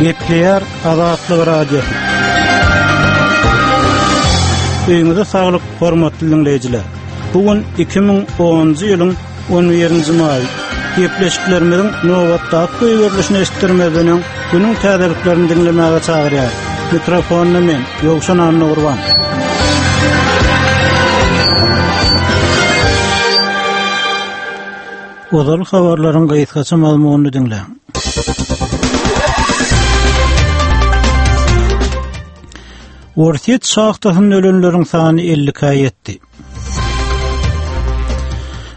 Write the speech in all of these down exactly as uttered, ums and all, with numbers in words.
Gepleýär Azatlyk Radiosy. Öýüňize saglyk, hormatly diňleýjiler. Bu gün iki müň onunjy ýylyň on birinji maýy. Gepleşiklerimiziň nobatdaky goýberilişini eşitdirmezden öň, günüň täzeliklerini diňlemäge çagyrýar. Mikrofonda men, Ýowşan Annagurban. Ozal habarlaryň gysgaça mazmunyny diňläň. Orsýet şahtasynda ölenleriň sany elli ikä ýetdi.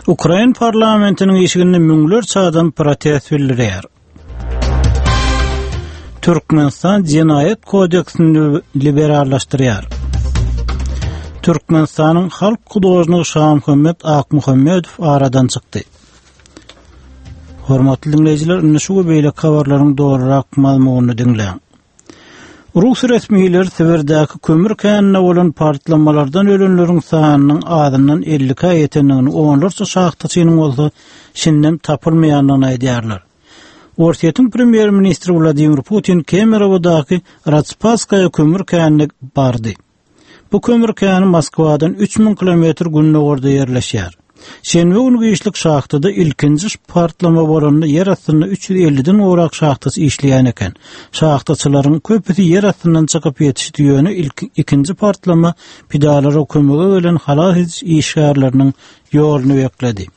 Ukrain parlamentiniň işiginde müňlerçe adam protest bildirýär. Türkmenistan jenaýat kodeksini liberallaşdyrýar. Türkmenistanyň halk hudožnigi Şamuhammet Akmuhammedow aradan çykdy. Hormatly diňleýjiler, indi şu we beýleki habarlaryň dolurak mazmunyny diňläň. Rus resmileri Sibirdäki kömür käninde bolan partlamalardan ölenleriň sanynyň azyndan elli ikä ýetendigini, onlarça şahtaçynyň bolsa şindem tapylmaýandygyny aýdýarlar. Orsýetiň premýer-ministri Wladimir Putin Kemerowodaky Ratspaskaýa kömür känine bardy. Bu kömür käni Moskwadan üç müň kilometr gündogarda ýerleşýär. Şenbe günü giçlik şahtada ilkinji partlama bolanda ýer astynda üç ýüz elliden gowrak şahtaçy işleýän eken. Şahtaçylaryň köpüsi ýer astyndan çykyp ýetişdi, ýöne ilk ikinji partlama pidalara kömege gelen halas ediş işgärleriniň ýoluny bekledi.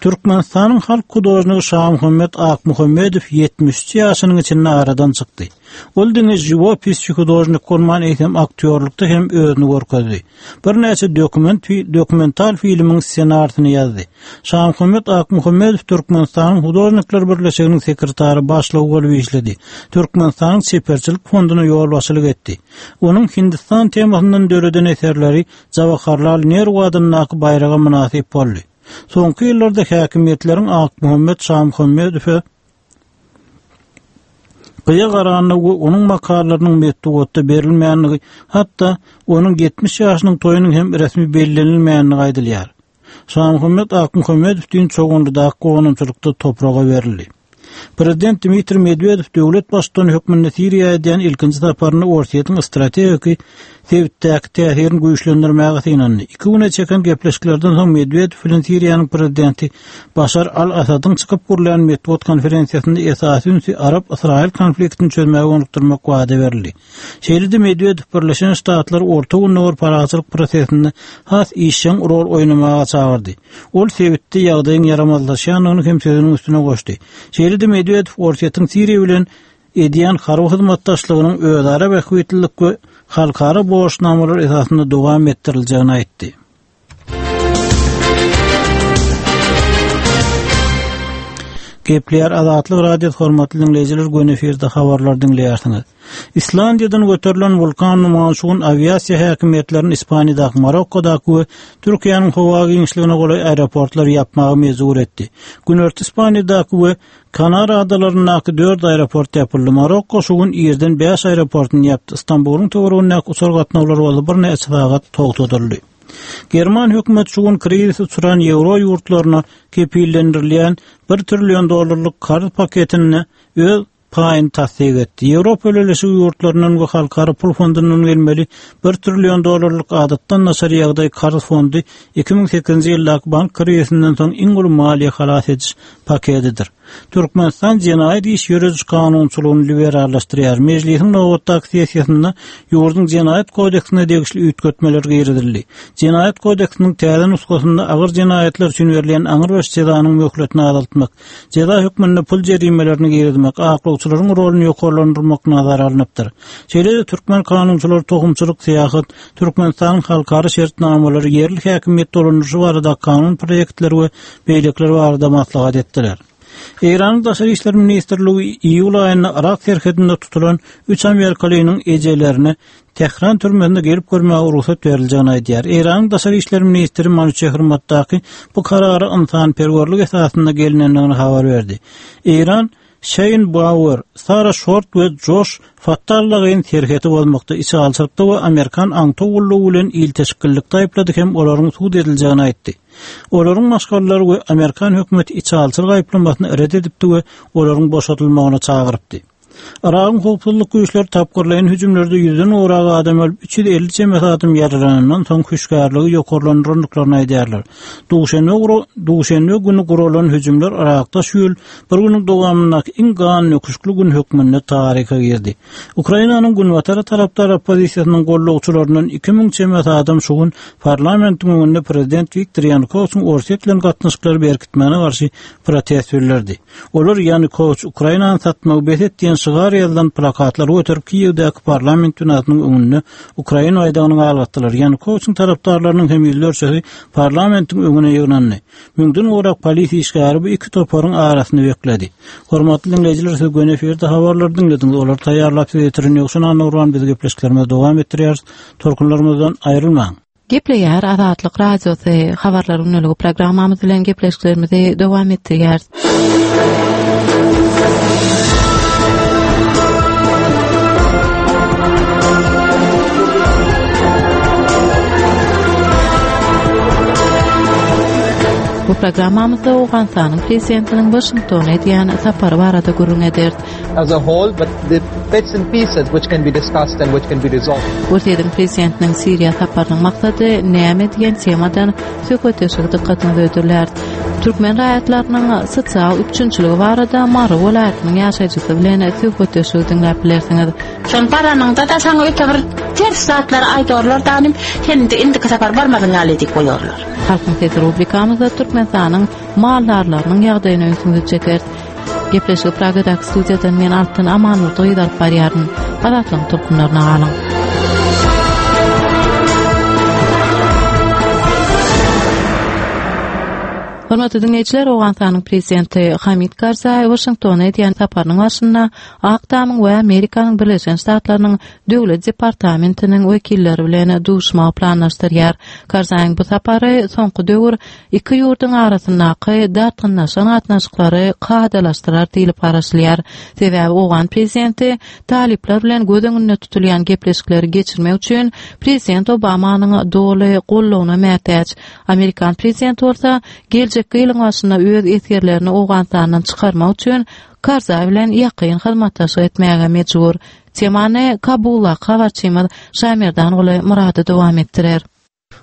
Türkmenistanyň halk hudožnigi Şamuhammet Akmuhammedow ýetmiş üç ýaşynyň içinde aradan çykdy. Ol diňe žiwopisçi hudožnik bolman, eýsem aktýorlukda hem özüni görkezdi. Birnäçe dokument fi-, dokumental filmiň ssenarisini ýazdy. Şamuhammet Akmuhammedow Türkmenistanyň Hudožnikler Birleşiginiň sekretary başlygy bolup işledi. Türkmenistanyň Çeperçilik fonduna ýolbaşçylyk etdi. Onuň Hindistan temasyndan döreden eserleri Jawaharlal Nehru adyndaky baýraga mynasyp boldy. Soňky ýyllarda häkimiýetleriň Akmuhammet Şamuhammedowy gyýa garanda we onuň makalalarynyň metbugatda berilmänligi, hatda onuň ýetmiş ýaşynyň toýunyň hem resmi bellenilmänligi aýdylýar. Şamuhammet Akmuhammedow düýn Çoganlydaky gonamçylykda topraga berildi. Prezident Dmitriý Medwedew döwlet baştutany hökmünde Siriýa edýän ilkinji saparyny Orsýetiň strategiki sebitdäki täsirini güýçlendirmäge synandy. Iki güne çeken gepleşiklerden soň Medwedew bilen Siriýanyň prezidenti Başar al-Asadyň çykyp gurlan metbugat konferensiýasynda esasy ünsi Arap-Ysraýyl konfliktini çözmäge gönükdirmek wada berildi. Şeýle-de Medwedew Birleşen Ştatlar Orta Gündogar parahatçylyk prosesinde has işjeň rol oýnamaga çagyrdy. Ol sebitde ýagdaýyň ýaramazlaşýandygyny hem sözüniň üstüne goşdy. Şeýle-de Medwedew Orsýetiň Siriýa bilen edýän harby hyzmatdaşlygynyň özara bähbitlilik we halkara borçnamalar esasynda dowam etdiriljegini aýtdy. Gepleýär Azatlyk Radiosy, hormatly diňleýjiler, göni efirde habarlar diňleýärsiňiz. Islandiýadan göterilen wulkan numany şu gün awiasiýa häkimiýetlerini Ispaniýadaky, Marokkodaky we Türkiýäniň howa giňişligine golaý aeroportlary ýapmaga mejbur etdi. Günorta Ispaniýadaky we Kanar adalaryndaky dört aeroport ýapyldy. Marokko şu gün irden bäş aeroportyny ýapdy. Istanbulyň töweregindäki uçar gatnawlary bolsa birnäçe sagat togtadyldy. German hökümeti şu gün krizis uçran ýewro ýurtlaryna kepillendirilýän bir trillion dollarlyk karz paketini öz paýyny tassyk etdi. Ýewropa Birleşigi ýurtlaryndan we halkara pul fondundan gelmeli bir trillion dollarlyk adatdan daşary ýagdaý karz fondy iki müň sekizinji ýyldaky bank krizisinden soň iň uly maliýe halas ediş paketidir. Türkmenistan jenaýat iş ýörediş kanunçylygyny liberallaşdyrýar. Mejlisiň nobatdaky sessiýasynda ýurduň jenaýat kodeksine degişli üýtgetmeler girizildi. Jenaýat kodeksiniň täze nusgasynda agyr jenaýatlar üçin berilýän aňrybaş jezanyň möhletini azaltmak, jeza hökmünde pul jerimelerini girizmek, aklawçylaryň roluny ýokarlandyrmak nazara alnypdyr. Şeýle-de türkmen kanunçylary tohumçylyk, syýahat, Türkmenistanyň halkara şertnamalary, ýerli häkimiýet dolandyryşy barada kanun proýektleri we beýlekiler barada maslahat etdiler. Eýranyň Daşary İşler Ministrligi iýul aýynda Irak serhedinde tutulan üç amerikalynyň ejelerine Tehran türmesine gelip görmäge rugsat beriljegini aýdýar. Eýranyň Daşary İşler Ministri Manuçehr Muttaki bu karara ynsanperwerlik esasynda gelinendigini habar berdi. Eýran Shane Bauer, Sara Short we Josh Fattallagyn serheti bozmakda içalçylykda we Amerikan aňtaw gullugy bilen ilteşiklilikde aýyplady hem olaryň sud ediljegini aýtdy. Olaryň maşgalalary we Amerikan hökümeti içalçylyk aýyplamasyny ret edipdi we olaryň boşadylmagyna çagyrypdy. Yragyň howpsuzlyk güýçleri tapgyrlaýyn hüjümlerde ýüzden gowrak adam ölüp, üç ýüz elli çemesi adam ýaralanandan soň hüşgärligi ýokarlandyrandyklaryny aýdýarlar. Duşenbe Duşenbe güni guralan hüjümler Yrakda şu ýyl bir günüň dowamyndaky iň gan nöküşli gün hökmünde taryha girdi. Ukrainanyň günbatar tarapdar oppozisiýasynyň gollagçylaryndan iki müň çemesi adam şu gün parlamentiň öňünde prezident Wiktor Ýanukowiçiň Orsýet bilen gatnaşyklary berkitmäne garşy protest bildirdi. Olar Ýanukowiç Ukrainany satmagy bes et diýen şygar ýazylan plakatlary göterip Kiýewdäki parlament binasynyň öňünde Ukraina baýdagyny galgatdylar. Ýanukowiçiň tarapdarlarynyň hem ýüzlerçesi parlamentiň öňüne ýygnandy. Müňden gowrak polis işgäri bu iki toparyň arasyny bekledi. Hormatly dinleýjiler, siz göni efirde habarlary diňlediňiz. Olar taýýarlap size ýetiren Ýowşan Annagurban biz gepleşiklerimizi dowam etdirýäris. Tolkunlarymyzdan aýrylmaň. Gepleýär Azatlyk Radiosy habarlar günlügi programmamyz bilen gepleşiklerimizi dowam etdirýäris. Bu programmamyzda Owganystanyň prezidentiniň Washingtona edýän sapary barada gürrüň ederis. As a whole, but the bits and pieces which can be discussed and which can be resolved. Orsýetiň prezidentiniň Siriýa saparynyň maksady näme diýen temadan söhbetdeşlik dykgatyňyza hödürlär. Türkmen raýatlarynyň sosial üpjünçiligi barada Mary welaýatynyň ýaşaýjysy bilen söhbetdeşligi diňläp bilersiňiz. Şol baranyňda da saňa öte bir ters zatlar aýdorlar danym, sen indi indiki sapar barmadyň ýaly diýip goýarlar. Halkyň sesi rubrikamyzda Türkmenistanyň maldarlarynyň ýagdaýyna ünsüňizi çekeris. Gepleşigi Pragadaky studiýadan men Altyn Amanurdy gyz alyp barýaryn. Azatlygyň tolkunlaryna galyň. Hormatly dinleýjiler, Owganystanyň prezidenti Hamid Karzaý Waşingtona edýän saparynyň barşynda Ak Tamyň we Amerikanyň Birleşen Ştatlarynyň Döwlet departamentiniň wekilleri bilen duşmagy planlaşdyrýar. Karzaýyň bu sapary soňky döwür iki ýurduň arasyndaky dartgynlaşan gatnaşyklary kadalaşdyrar diýlip garaşylýar. Sebäbi Owgan prezidenti talyplar bilen göz öňünde tutulýan gepleşikleri geçirmek üçin prezident Obamanyň doly goldawyna mätäç. Amerikan prezidenti bolsa geljekki ýylyň başynda öz esgerlerini Owganystandan çykarmak üçin Karzaý bilen ýakyn hyzmatdaşlyk etmäge mejbur. Temany Kabuldaky habarçymyz Şamerdanguly Murady dowam etdirer.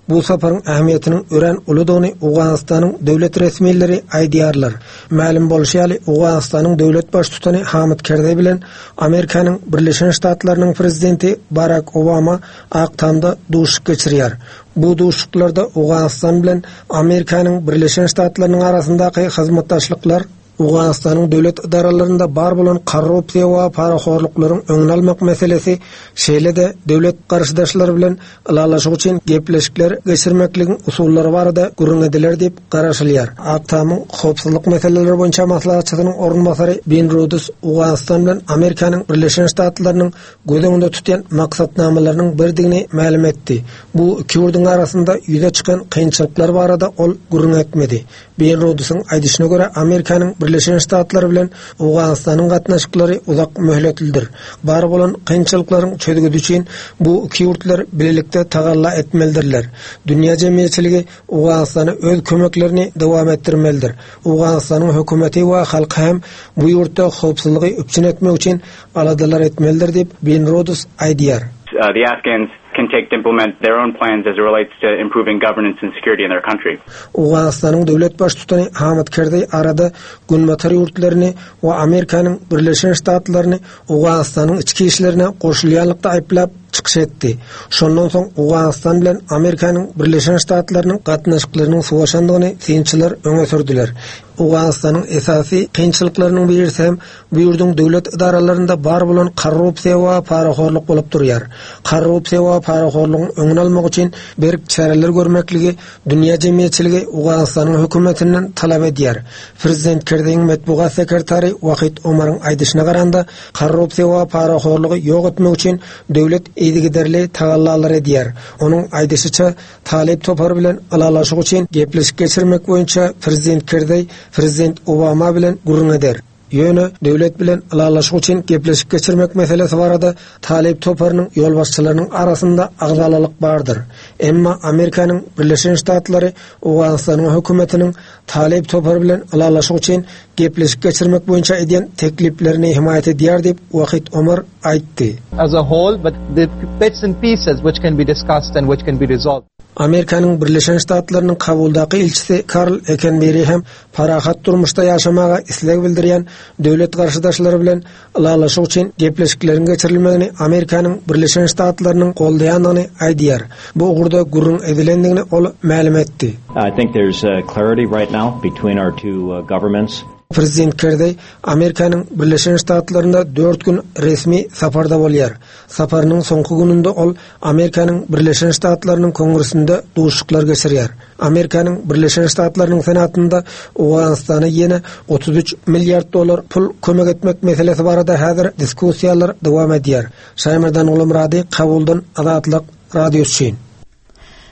Bu saparyň ähmiýetiniň örän uludygyny Owganystanyň döwlet resmileri aýdýarlar. Mälim bolşy ýaly, Owganystanyň döwlet baştutany Hamid Kerzaý bilen Amerikanyň Birleşen Ştatlarynyň prezidenti Barak Obama Ak Tamda duşuşyk geçirýär. Bu duşuşyklarda Owganystan bilen Amerikanyň Birleşen Ştatlarynyň arasyndaky hyzmatdaşlyklar, Owganystanyň döwlet edaralarynda bar bolan korrupsiýa we parahorluklaryň öňüni almak meselesi, şeýle-de döwlet garşydaşlary bilen ylalaşyk üçin gepleşikler geçirmekligiň usullary barada gürrüň ediler diýip garaşylýar. Ak Tamyň howpsuzlyk meseleleri boýunça maslahatçysynyň orunbasary Bin Rudus Owganystan bilen Amerikanyň Birleşen Ştatlarynyň göz öňünde tutýan maksatnamalarynyň birdigini mälim etdi. Bu iki ýurduň arasynda ýüze çykan kynçylyklar barada ol gürrüň etmedi. Bin Rudusyň aýdyşyna görä, Amerikanyň Birleşen Ştatlary bilen Owganystanyň gatnaşyklary uzak möhletlidir. Bar bolan kynçylyklaryň çözgüdi üçin bu iki ýurtlar bilelikde tagalla etmelidirler. Dünýä jemgyýetçiligi Owganystana öz kömeklerini dowam etdirmelidir. Owganystanyň hökümeti we halky hem bu ýurtda howpsuzlygy üpjün etmek üçin aladalar etmelidir diýip Bin Rudus aýdýar. Uh, the Afghans can take to implement their own plans as it relates to improving governance and security in their country. Owganystanyň döwlet baştutany Hamid Kerzaý arada Günbatar ýurtlaryny we Amerikanyň Birleşen Ştatlaryny Owganystanyň içki işlerine goşulýanlykda aýyplap çykyş etdi. Şondan soň Owganystan bilen Amerikanyň Birleşen Ştatlarynyň gatnaşyklarynyň sowaşandygyny synçylar öňe sürdüler. Owganystanyň esasy kynçylyklarynyň birisi hem bu ýurduň döwlet edaralarynda bar bolan korrupsiýa we parahorluk bolup durýar. Korrupsiýa we parahorlugyň öňüni almak üçin berk çäreler görmekligi dünýä jemgyýetçiligi Owganystanyň hökümetinden talap edýär. Prezident Kerzaýyň metbugat sekretary Wahid Omaryň aýdyşyna garanda, korrupsiýa we parahorlugy ýok etmek üçin döwlet yzygiderli tagallalar edýär. Onuň aýdyşyça, Talyp topary bilen ylalaşyk üçin gepleşik geçirmek boýunça prezident Kerzaý prezident Obama bilen gürrüň eder. Ýöne döwlet bilen ylalaşyk üçin gepleşik geçirmek meselesi barada Talip toparynyň ýolbaşçylarynyň arasynda agzalalyk bardyr. Emma Amerikanyň Birleşen Ştatlary Owganystanyň hökümetiniň Talip topary bilen ylalaşyk üçin gepleşik geçirmek boýunça edýän tekliplerini himaýat edýär diýip Wahid Omar aýtdy. As a whole, but the bits and pieces which can be discussed and which can be resolved. Amerikanyň Birleşen Ştatlarynyň Kabuldaky ilçisi Karl Ekenberi hem parahat durmuşda ýaşamaga isleg bildirýän döwlet garşydaşlary bilen ylalaşyk üçin gepleşikleriň geçirilmegini Amerikanyň Birleşen Ştatlarynyň goldaýandygyny aýdýar. Bu ugurda gürrüň edilendigini ol mälim etdi. I think there's uh, clarity right now between our two uh, governments. Prezident Kerry Amerikanyň Birleşen Ştatlarynda dört gün resmi saparda bolýar. Saparynyň soňky gününde ol Amerikanyň Birleşen Ştatlarynyň Kongresinde duşuşyklar geçirýär. Amerikanyň Birleşen Ştatlarynyň Senatynda Owganystana ýene otuz üç milliard dollar pul kömek etmek meselesi barada häzir diskussiýalar dowam edýär. Şaýmerdan Gulumrady, Kabuldan Azatlyk Radiosy üçin.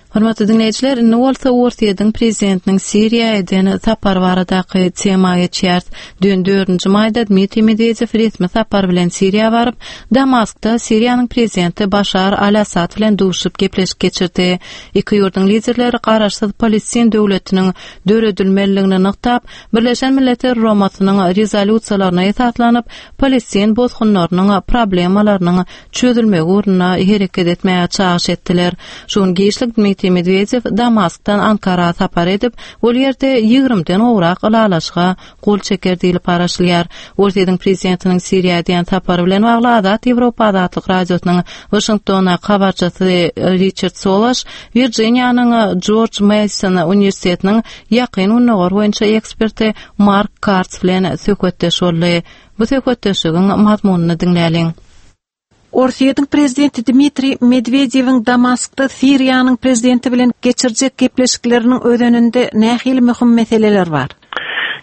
Hormatly dinleýjiler, indi bolsa Orsýetiň prezidentiniň Siriýa eden sapar baradaky tema geçýär. Dün dördünji maýda Dmitriý Medwedew resmi sapar bilen Siriýa baryp, Damaskda Siriýanyň prezidenti Başar al-Assad bilen duşup gepleşik geçirdi. Iki ýurduň liderleri garaşsyz Palestin döwletiniň döredilmeliligini nygtap, Birleşen Milletler Guramasynyň rezolýusiýalaryna esaslanyp, Palestin bosgunlarynyň problemalarynyň çözülmegi ugrunda hereket etmäge çagyş etdiler. Şu gün giçlik Dmitriý Medwedew Damaskdan Ankara sapar edip, ol ýerde ýigrimden gowrak ylalaşyga gol çeker diýlip garaşylýar. Orsýetiň prezidentiniň Siriýa edýän sapary bilen bagly Azat Ýewropa Azatlyk Radiosynyň Waşingtona habarçysy Richard Solaş, Virginianyň George Mason Uniwersitetiniň ýakyn gündogar boýunça eksperti Mark Kartz bilen söhbetdeş boldy. Bu söhbetdeşligiň mazmunyny diňläliň. Orsýetiň prezidenti Dmitriý Medwedewiň Damaskda Siriýanyň prezidenti bilen geçirjek gepleşikleriniň özeninde nähili möhüm meseleler bar?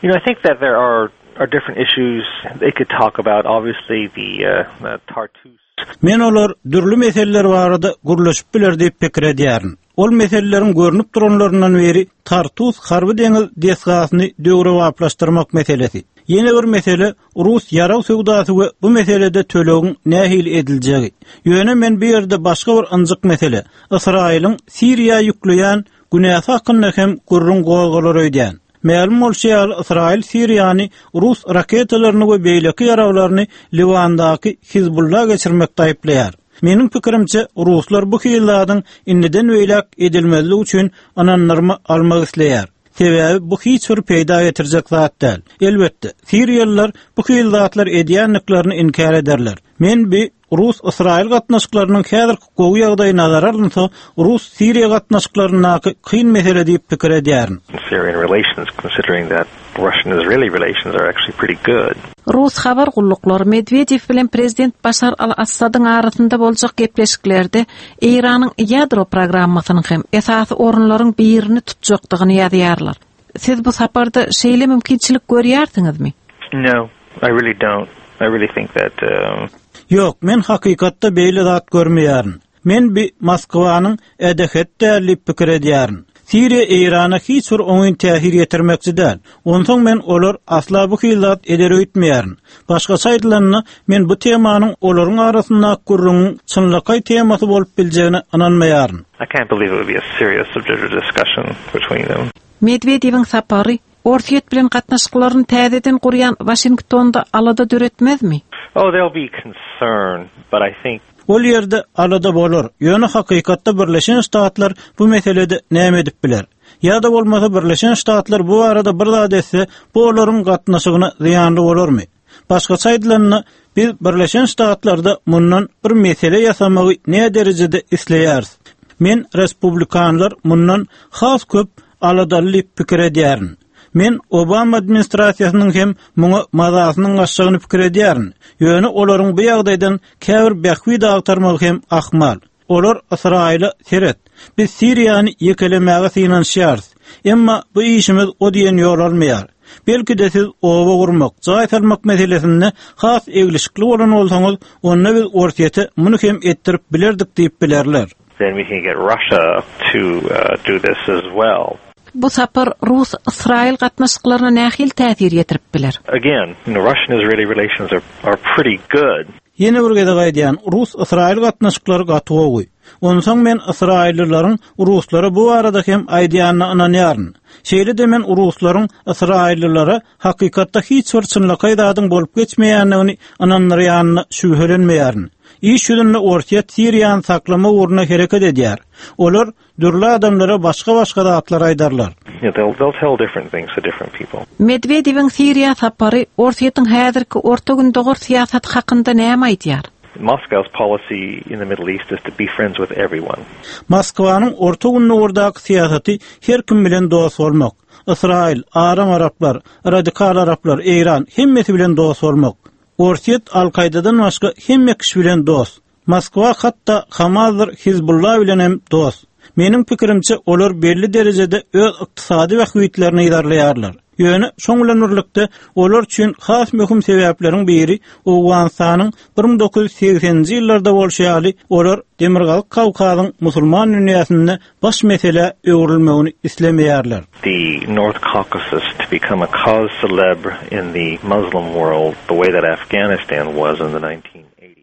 You know, I think that there are, are different issues they could talk about. Obviously, the, uh, the Tartus. Men olar dürli meseleler barada gürleşip biler diýip pikir edýärin. Ol meseleleriň görnüp duranlaryndan biri Tartus harby deňiz desgasyny döwrebaplaşdyrmak meselesi. Ýene bir mesele Rus ýarag söwdasy we bu meselede tölegiň nähili ediljegi. Ýöne men bu ýerde başga bir ynjyk mesele, Ysraýylyň Siriýa ýükleýän günäsi hakynda hem gürrüň gozgalar öýdýän. Mälim bolşy ýaly Ysraýyl Siriýany Rus raketalaryny we beýleki ýaraglaryny Liwandaky Hizbullah geçirmekde aýyplaýar. Meniň pikirimçe Ruslar bu hilladyň indiden beýläk edilmezligi üçin ynandyrma almak isleýär. Sebäbi bu hiç bir peýda getirjek zat däl. Elbetde, Siriýalylar bu hillatlar edýänliklerini inkär ederler. Men bi Rus-Ysraýyl gatnaşyklarynyň häzirki gowy ýagdaýy nazara alynsa, Rus-Siriýa gatnaşyklaryndaky kyn mesele diýip pikir edýärin. Syrian relations, considering that Russian-Israeli relations are actually pretty good. Rus habar gulluklary Medwedew bilen prezident Başar al-Assadyň arasynda boljak gepleşiklerde Eýranyň ýadro programmasynyň hem esasy orunlaryň birini tutjakdygyny ýazýarlar. Siz bu saparda şeýle mümkinçilik görýärsiňizmi? No, I really don't. I really think that, um, Ýok, men hakykatda beýle zat görmeýärin. Men bi Moskwanyň ädehet däl diýip pikir edýärin. Siriýa Eýrana hiç bir oňyn täsir ýetirmekçi däl. Onsoň men olar asla bu hillat eder öýtmeýärin. Başgaça aýdylanda, men bu temanyň olaryň arasynda gürrüňiň çynlakaý temasy bolup biljegine ynanmaýaryn. I can't believe it would be a serious subject of discussion between them. Medwedewiň sapary Orsýet bilen gatnaşyklaryny täzeden gurýan Waşingtonda alada döretmezmi? Oh, there'll be concern, but I think Ol ýerde alada bolar. Ýöne hakykatda Birleşen Ştatlar bu meselede näme edip biler? Ýa-da bolmasa Birleşen Ştatlar bu arada bir zat etse, bu olaryň gatnaşygyna zyýanly bolarmy? Başgaça aýdylanda, biz Birleşen Ştatlarda mundan bir mesele ýasamagy näme derejede isleýäris? Men respublikanlar mundan has köp aladaly diýip pikir edýärin. Men Obama administrasiýasynyň hem muňa mazasynyň gaçjagyny pikir edýärin. Ýöne olaryň bu ýagdaýdan käbir bähbit agtarmagy hem ahmal. Olar Ysraýyla seret. Biz Siriýany ýekelemäge synanyşýarys. Emma bu işimiz o diýen ýol almaýar. Belki de siz oba gurmak, jaý salmak meselesinde has eglişikli bolan bolsaňyz, onda biz Orsýete muny hem etdirip bilerdik diýip bilerler. Then we can get Russia to, uh, do this as well. Bu sapar Rus-Ysraýyl gatnaşyklaryna nähili täsir ýetirip biler? Again, you know, Russian-Israeli relations are, are pretty good. Ýene bir gezek aýdýan, Rus-Ysraýyl gatnaşyklary gaty gowy. Onsoň men Ysraýyllylaryň Ruslara bu barada hem aýdýanyna ynanýaryn. Şeýle-de men Ruslaryň Ysraýyllylara hakykatda hiç bir çynlakaý zadyň bolup geçmeýändigini ynandyrýanyna şübhelenmeýärin. Iş ýüzünde Orsýet Siriýany saklama ugruna hereket edýär. Olar dürli adamlara başga-başga zatlar aýdarlar. You know, they'll, they'll tell different things to different people. Medwedewiň Siriýa sapary Orsýetiň häzirki Orta Gündogar syýasaty hakynda näme aýdýar? Moscow's policy in the Middle East is to be friends with everyone. Moskwanyň Orta Gündogardaky syýasaty her kim bilen dost bolmak. Ysraýyl, aram araplar, radikal araplar, Eýran hemmesi bilen dost bolmak. Orsýet Al-Kaýdadan başga hemme kişi bilen dost. Moskwa hatda Hamasdyr Hizbullah bilen hem dost. Meniň pikirimçe olar belli derejede öz ykdysady bähbitlerini yzarlaýarlar. Ýöne şoň bilen birlikde olar üçin has möhüm sebäpleriň biri Owganystanyň bir müň dokuz ýüz segseninji ýyllarda bolşy ýaly olar Demirgazyk Kawkazyň musulman dünýäsinde baş mesele öwrülmegini islemeýärler. The North Caucasus to become a cause célèbre in the Muslim world the way that Afghanistan was in the nineteen eighties.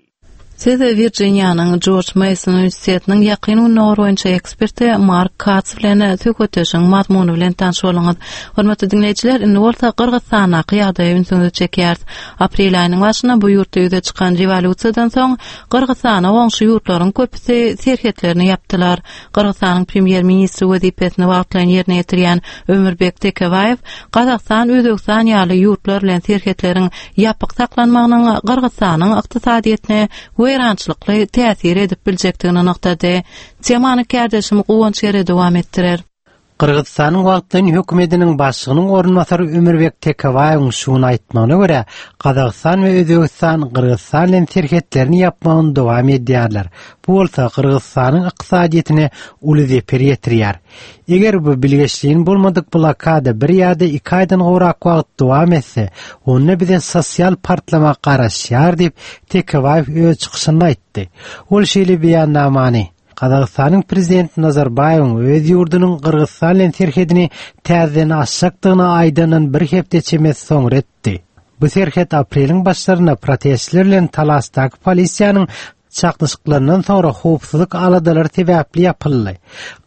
Siz Virginianyň George Mason Uniwersitetiniň Ýakyn Gündogar boýunça eksperti Mark Katz bilen söhbetdeşiň mazmuny bilen tanyş bolduňyz. Hormatly diňleýjiler, indi bolsa Gyrgyzstandaky ýagdaýa ünsüňizi çekýäris. Aprel aýynyň başynda bu ýurtda ýüze çykan rewolýusiýadan soň Gyrgyzstana goňşy ýurtlaryň köpüsi serhetlerini ýapdylar. Gyrgyzstanyň premýer-ministri wezipesini wagtlaýyn ýerine ýetirýän Ömürbek Tekebaýew Gazagystan, Özbegistan ýaly ýurtlar bilen serhetleriň ýapyk saklanmagynyň Gyrgyzstanyň ykdysadyýetine weýrançylykly täsir edip biljekdigini nygtady. Temany kärdeşim Guwanç ýere dowam etdirer. Gyrgyzstanyň wagtlaýyn hökümetiniň başlygynyň orunbasary Ömürbek Tekebaýewiň şuny aýtmagyna görä, Gazagystan we Özbegistan Gyrgyzstan bilen serhetlerini ýapmagyny dowam edýärler. Bu bolsa Gyrgyzstanyň ykdysadyýetine uly zeper ýetirýär. Eger bu bilgeşliğin bolmadyk blokada bir ýa-da iki aýdan gowrak wagt dowam etse, onda bize sosial partlama garaşýar diýip Tekebaýew öz çykyşynda aýtdy. Ol şeýle beýannamany Gazagystanyň prezidenti Nazarbaýewiň öz ýurdunyň Gyrgyzstan bilen serhedini täzeden açjakdygyny aýdandan bir hepde çemesi soňra etdi. Bu serhet apreliň başlarynda protestler bilen Talasdaky polisiýanyň çaknyşyklaryndan soňra howpsuzlyk aladalary sebäpli ýapyldy.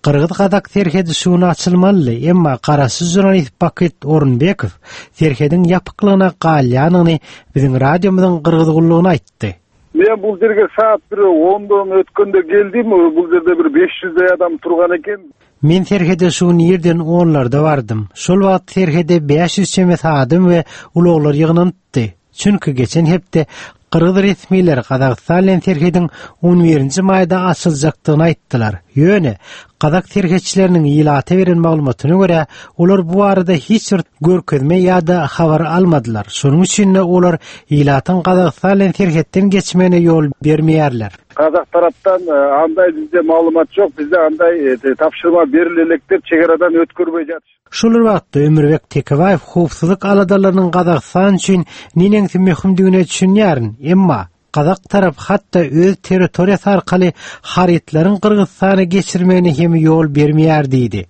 Gyrgyz-Gazak serhedi şuny açylmaly, emma garaşsyz žurnalist Bakyt Orunbekow serhediň ýapyklygyna galýanyny biziň radiomyzyň Gyrgyz gullugyna aýtdy. Men bul жерге saat bir ондон өткөндө келдим, бул жерде бир беш жүздөй адам турган экен. Men serhede şu ýerden onlarda bardym. Şol wagt serhede bäş ýüz çemesi adam we ulaglar ýygnanypdy. Çünki geçen hepde Gyrgyz resmileri Gazagystan bilen serhediň on birinji maýda açyljakdygyny aýtdylar. Ýöne Gazak serhetçileriniň ilata beren maglumatyna görä, olar bu arada hiç bir görkezme ýa-da habar almadylar. Şonuň üçin de olar ilatyň Gazagystan bilen serhetden geçmegine ýol bermeýärler. Kazak taraptan, e, андай bizde maglumat ýok, bizde anday, e, tapşyrma berilelek dep çegaradan ötkürmey jatyş. Şol wagtda Ömürbek Tekebaýew howpsuzlyk aladalarynyň Gazagystan üçin neneňsi möhümdigine düşünýärin, emma Gazak tarap hatda öz territoriýasy arkaly harytlaryň Gyrgyzystana geçirmegine hem ýol bermeýär diýdi.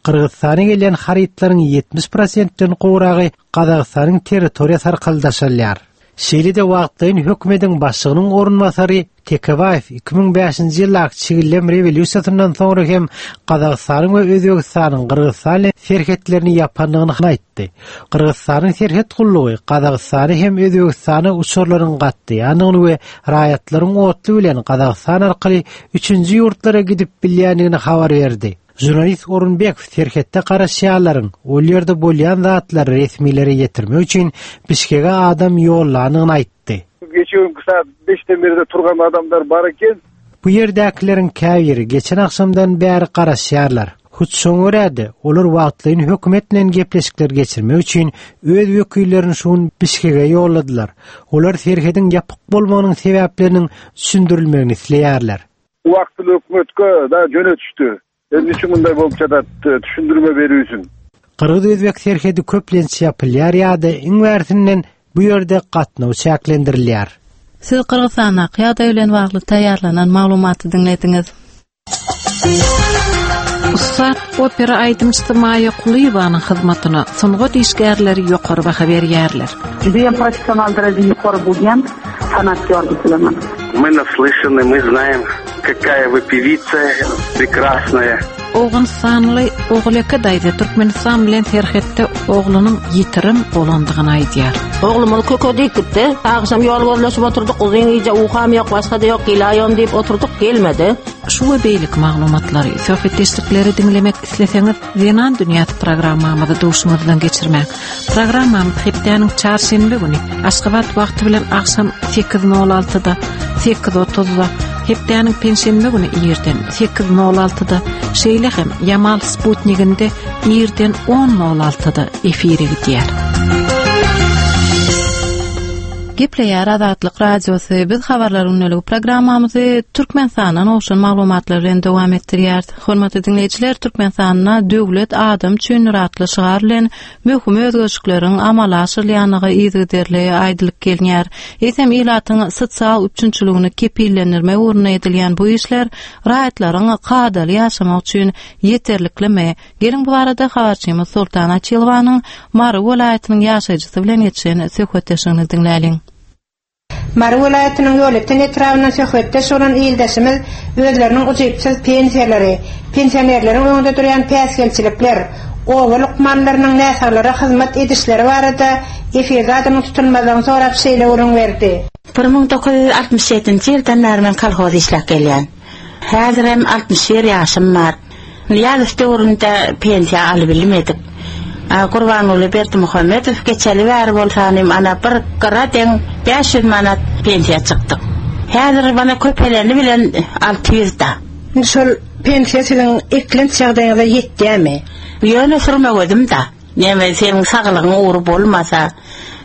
Gyrgyzystana gelen harytlaryň ýetmiş prosentden gowragy Gazagystanyň territoriýasy arkaly daşalýar. Şeýle-de wagtlaýyn hökümetiň başlygynyň orunbasary Tekebaýew iki müň bäşinji ýyldaky Çigillem rewolýusiýasyndan soňra hem Gazagystanyň we Özbegistanyň Gyrgyzstan bilen serhetlerini ýapandygyny aýtdy. Gyrgyzstanyň serhet gullugy Gazagystany hem Özbegistana uçarlaryň gatnaýandygyny we raýatlaryň otly bilen Gazagystan arkaly üçünji ýurtlara gidip bilýändigini habar berdi. Žurnalist Orunbekow serhetde garaşýanlaryň ol ýerde bolýan zatlary resmilere ýetirmek üçin Bişkege adam ýollanyny aýtdy. Geçen saat beşden beri turgan adamlar bar eken. Bu ýerdäkileriň käbiri geçen akşamdan bäri garaşýarlar. Hut şoňa görä-de, olar wagtlaýyn hökümet bilen gepleşikler geçirmek üçin öz wekillerini şuň Bişkege ýolladylar. Olar serhediň ýapyk bolmagynyň sebäpleriniň düşündirilmegini isleýärler. Wagtly hökümetke da jönetişdi. Emni üçin bunday bolup çadat, düşündirme berýärsin. Gyrgyz Özbek serhedi köplenç ýapylýar ýa-da iň bärsinden bu ýerde gatnaw çäklendirilýär. Siz Gyrgyzstandaky ýagdaý bilen bagly taýýarlanan maglumaty diňlediňiz. Ussat opera aýdymçysy Maýa Kulyýewanyň hyzmatyna sungat işgärleri ýokary baha berýärler. Judayam professional derejede ýokary bolýan sanatkar bilemen. Мы наслышаны, мы знаем, какая вы певица прекрасная. Owganystanly Oguleke daýza Türkmenistan bilen serhetde oglunyň ýitirim bolandygyny aýdýar. Oglumyz köke diýip gitdi. Agşam ýol gözleşip oturdyk, uzyn gije uham ýok, başga da ýok, gelaýom diýip oturdyk, gelmedi. Şu we beýleki maglumatlary, söhbetdeşlikleri diňlemek isleseňiz, Zenan Dünýäsi programmamyzy duşuňyzdan geçirmek. Programmamyz hepdäniň çarşenbe güni Aşgabat wagty bilen agşam sekiz nol altyda, sekiz otuzda, hepdäniň penşenbe güni irden sekiz nol altyda, şeýle hem Yamal Sputnikinde irden on nol altyda efire gidýär. Gepleýär Azatlyk Radiosy. Biz habarlar günlük programmamyzy Türkmenistandan ogşan maglumatlar bilen dowam etdirýär. Hormatly diňleýjiler, Türkmenistanda döwlet adam üçin atly şygar bilen möhüm özgerişlikleriň amala aşyrylýandygy yzygiderli aýdylyp gelinýär. Eýsem ilatyň sosial üpjünçiligini kepillendirmek ugrunda edilýän bu işler raýatlaryň kadaly ýaşamagy üçin ýeterliklimi? Geliň bu barada habarçymyz Sultan Açylowanyň Mary welaýatynyň ýaşaýjysy bilen geçen söhbetdeşligini diňläliň. Mary welaýatynyň Ýolöten etrabyndan söhbetdeş bolan ildeşimiz özleriniň ujypsyz pensiýalary, pensionerleriň öňünde durýan päsgelçilikler, oba lukmanlarynyň näsaglara hyzmat edişleri barada efirde adynyň tutulmazlygyny sorap şeýle gürrüň berdi. Bir müň dokuz ýüz altmyş ýedinji ýyldan bäri men kolhoz işläp gelýän. Häzir hem altmyş bir ýaşym bar. Nyýazow döwründe pensiýa alyp bilmedik. A, Gurbanguly Berdimuhamedow geçeli bäri bolsanym ana bir gyra deň bäş ýüz manat pensiýa çykdyk. Häzir bana köpeleni bilen alty ýüz da. Indi şol pensiýa siziň eklenç ýagdaýyňyza ýetýärmi? Ýöne sürme gözüm da. Näme seniň saglygyň ugry bolmasa,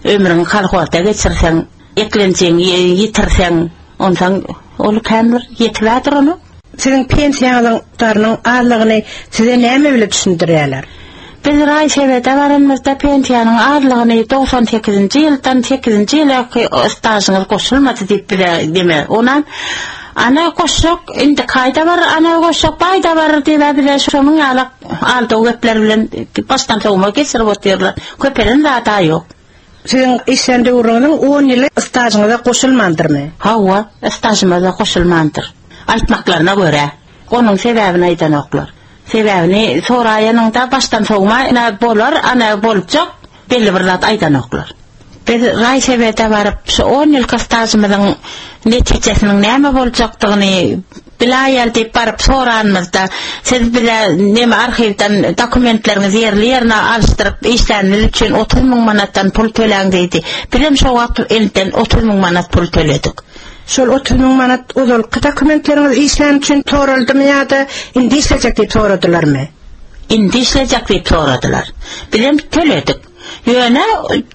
ömrüňi kolhozda geçirseň, eklenjiňi ýitirseň, ondan ol kän bir ýetip onu. Siziň pensiýaňyzyň darynyň azlygyny size näme bilen düşündirýärler? Biz raýsebede baranymyzda pensiýanyň azlygyny doksan sekizinji ýyldan sekizinji ýylaky stažyňyz goşulmady diýip bize deme. Onan ana goşjak, indi kaýda bar, ana goşjak, baýda bar diýip bize şonuň ýaly aldy gepler bilen başdan sowma geçirip otyrlar. Köpelen zada ýok. Siziň işlän döwrüňiziň on ýyly stažyňyza goşulmandyrmy? Hawa, stažymyza goşulmandyr. Aýtmaklaryna görä, onuň sebäbini aýdanoklar. Sebäbini soraýanyňda başdan sowma, ana bolar, ana boljak, belli bir zat aýdanoklar. Biz raýsebede baryp, şu on ýylky stažymyzyň netijesiniň näme boljakdygyny bilaýal diýip baryp soranymyzda, siz bize näme arhiwden dokumentleriňizi ýerli ýerine alşdyryp işlänimiz üçin otuz müň manatdan pul töläň diýdi. Bizem şo wagt elden otuz müň manat pul töledik. Şol otuz müň manat ozalky dokumentleriňiz işlän üçin soraldymy ýa-da indi işlejek diýip soradylarmy? Indi işlejek diýip soradylar. Bizem töledik. Ýöne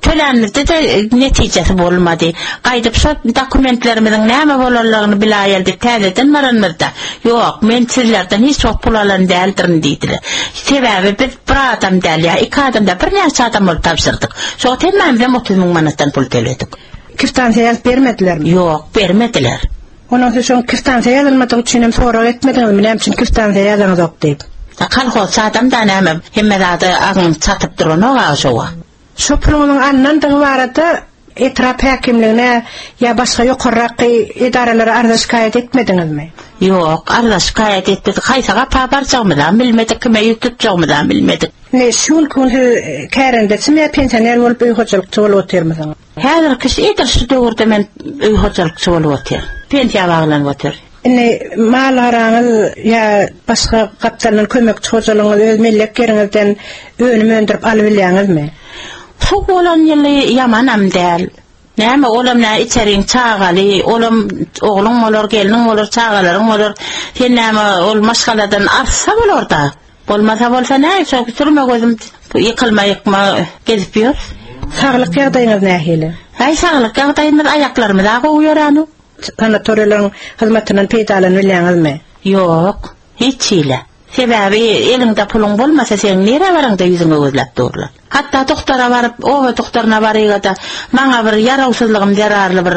tölänimizde de netijesi bolmady. Gaýdyp şo dokumentlerimiziň näme bolanlygyny bilaýal diýip täzeden baranymyzda, ýok, men sizlerden hiç wagt pul alan däldirin diýdiler. Sebäbi biz bir adam däl ýa iki adam däl, birnäçe adam bolup tabşyrdyk. Şo wagt hemmämizem otuz müň manatdan pul töledik. Kiftansiýa ýazyp bermedilermi? Ýok, bermediler. Ondan soň şoň kiftansiýa ýazylmadygy üçin hem sorag etmediňizmi, näme üçin kiftansiýa ýazaňyzok diýip? Kolhoz adam da näme, hemme zady agyň çatyp duranok agy şowa. Şo puluň alnandygy barada etrap häkimligine ýa başga ýokarraky edaralara arza şikaýat etmediňizmi? Ýok, arza şikaýat etmedik. Haýsy gapa barjagymyzam bilmedik, kime ýüz tutjagymyzam bilmedik. Ne, şu günki gün siz kärendeçimi ýa pensioner bolup öý hojalykçy bolup otyrmysyňyz? Häzirki şu edil şu döwürde men öý hojalykçy bolup otyryn. Pensiýa baglanyp otyryn. Indi mal araňyz ýa başga gapdaldan kömekçi hojalygyňyz öz mellek ýeriňizden önüm öndürip alyp bilýäňizmi? Suw bolan ýyly ýamanam däl. Näme olam nä içeriň çagaly, olam ogluň bolar, gelniň bolar, çagalaryň bolar. Sen näme ol maşgaladan arsa bolar da. Bolmasa bolsa näme, şo sürme gözüm ýykylma ýykma gezip ýör. Saglyk ýagdaýyňyz nähili? Haý, saglyk ýagdaýymyz aýaklarymyz gowy ýöränok. Sanatoriýalaryň hyzmatyndan peýdalanyp bilýäňizmi? Ýok, hiç hile. Sebäbi eliňde puluň bolmasa sen nirä baraňda ýüzüňe gözläp durlar. Hatda doktora baryp, oba doktoryna baryga-da maňa bir ýarawsyzlygym zerarly bir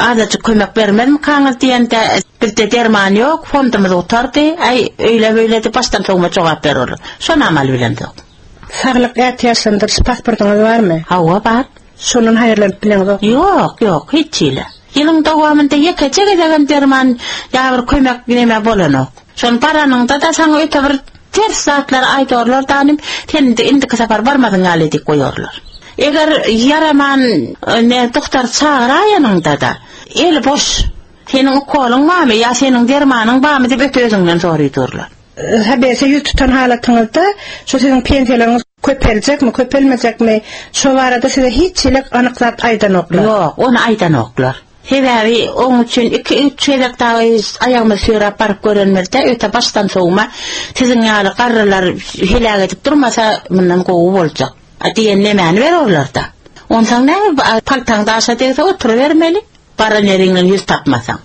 azajyk kömek bermezmikaňyz diýende bizde derman ýok, fondumyz gutardy. Aý, öýle beýle diýip başdan sowma jogap bererler. Şony amal bilemzok. Saglyk ätiýaçlandyryş pasportyňyz barmy? Hawa, bar. Şondan haýyrlanyp bileňizok? Ýok, ýok, hiç hili. Ýylyň dowamynda ýekeje gezegem derman ýa bir kömek neme bolanok. Şon baranyňda-da saňa öte bir ters zatlar aýdorlar danym, sen indi indiki sapar barmadyň ýaly diýip goýarlar. Eger ýaraman ne doktor çagyraýanyňda-da el boş, seniň ukoluň barmy ýa seniň dermanyň barmy diýip öte özüňden soraýdurlar. Habese ýüz tutan halatyňyzda şu siziň pensiýalaryňyz köpeljekmi, köpelmejekmi, şo barada size hiç hili anyk zat aýdanoklar. Ýok, ony aýdanoklar. Sebäbi oň üçin iki-üç gezek dagy aýagymyzy süýräp baryp görenimizde öte başdan sowma siziň ýaly garrylar heläk edip durmasa mundan gowy boljak. A diýen nemäni bererler-da. Onsoň näme paltaň daşa degse oturybermeli, baran ýeriňden ýüz tapmasaň.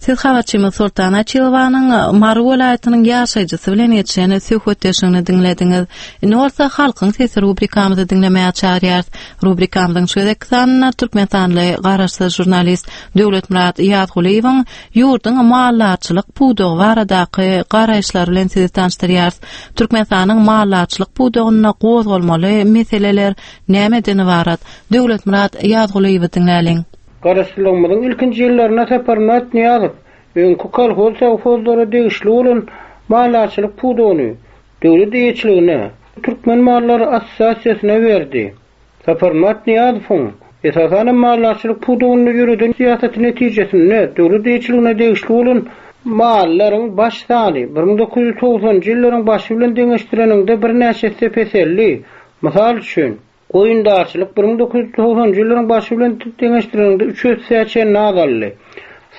Siz habarçymyz Sultan Açilowanyň Mary welaýatynyň ýaşaýjysy bilen geçen söhbetdeşligini diňlediňiz. Indi bolsa Halkyň sesi rubrikamyzy diňlemäge çagyrýarys. Rubrikamyzyň şu gezekki sanynda Türkmenistanly garaşsyz žurnalist Döwletmyrat Ýazgulyýewiň ýurduň maldarçylyk pudagy baradaky garaýyşlary bilen sizi tanyşdyrýarys. Türkmenistanyň maldarçylyk pudagynda gozgalmaly meseleler nämeden ybarat? Döwletmyrat Ýazgulyýewi diňläliň. Garaşsyzlygymyzyň ilkinji ýyllarynda Saparmyrat Nyýazow öňki kolhoz sowhozlara degişli bolan maldarçylyk pudagyny döwlet eýeçiligine Türkmen Mallary Assosiasiýasyna berdi. Saparmyrat Nyýazowyň esasan maldarçylyk pudagynda ýöreden syýasaty netijesinde döwlet eýeçiligine degişli bolan mallaryň baş sany bir müň dokuz ýüz togsanjy ýyllaryň başy bilen deňeşdireninde birnäçe esse peseldi. Mysal üçin, goýundarçylyk bir müň dokuz ýüz togsanjy ýyllaryň başy bilen deňeşdireninde üç esse çenli azaldy.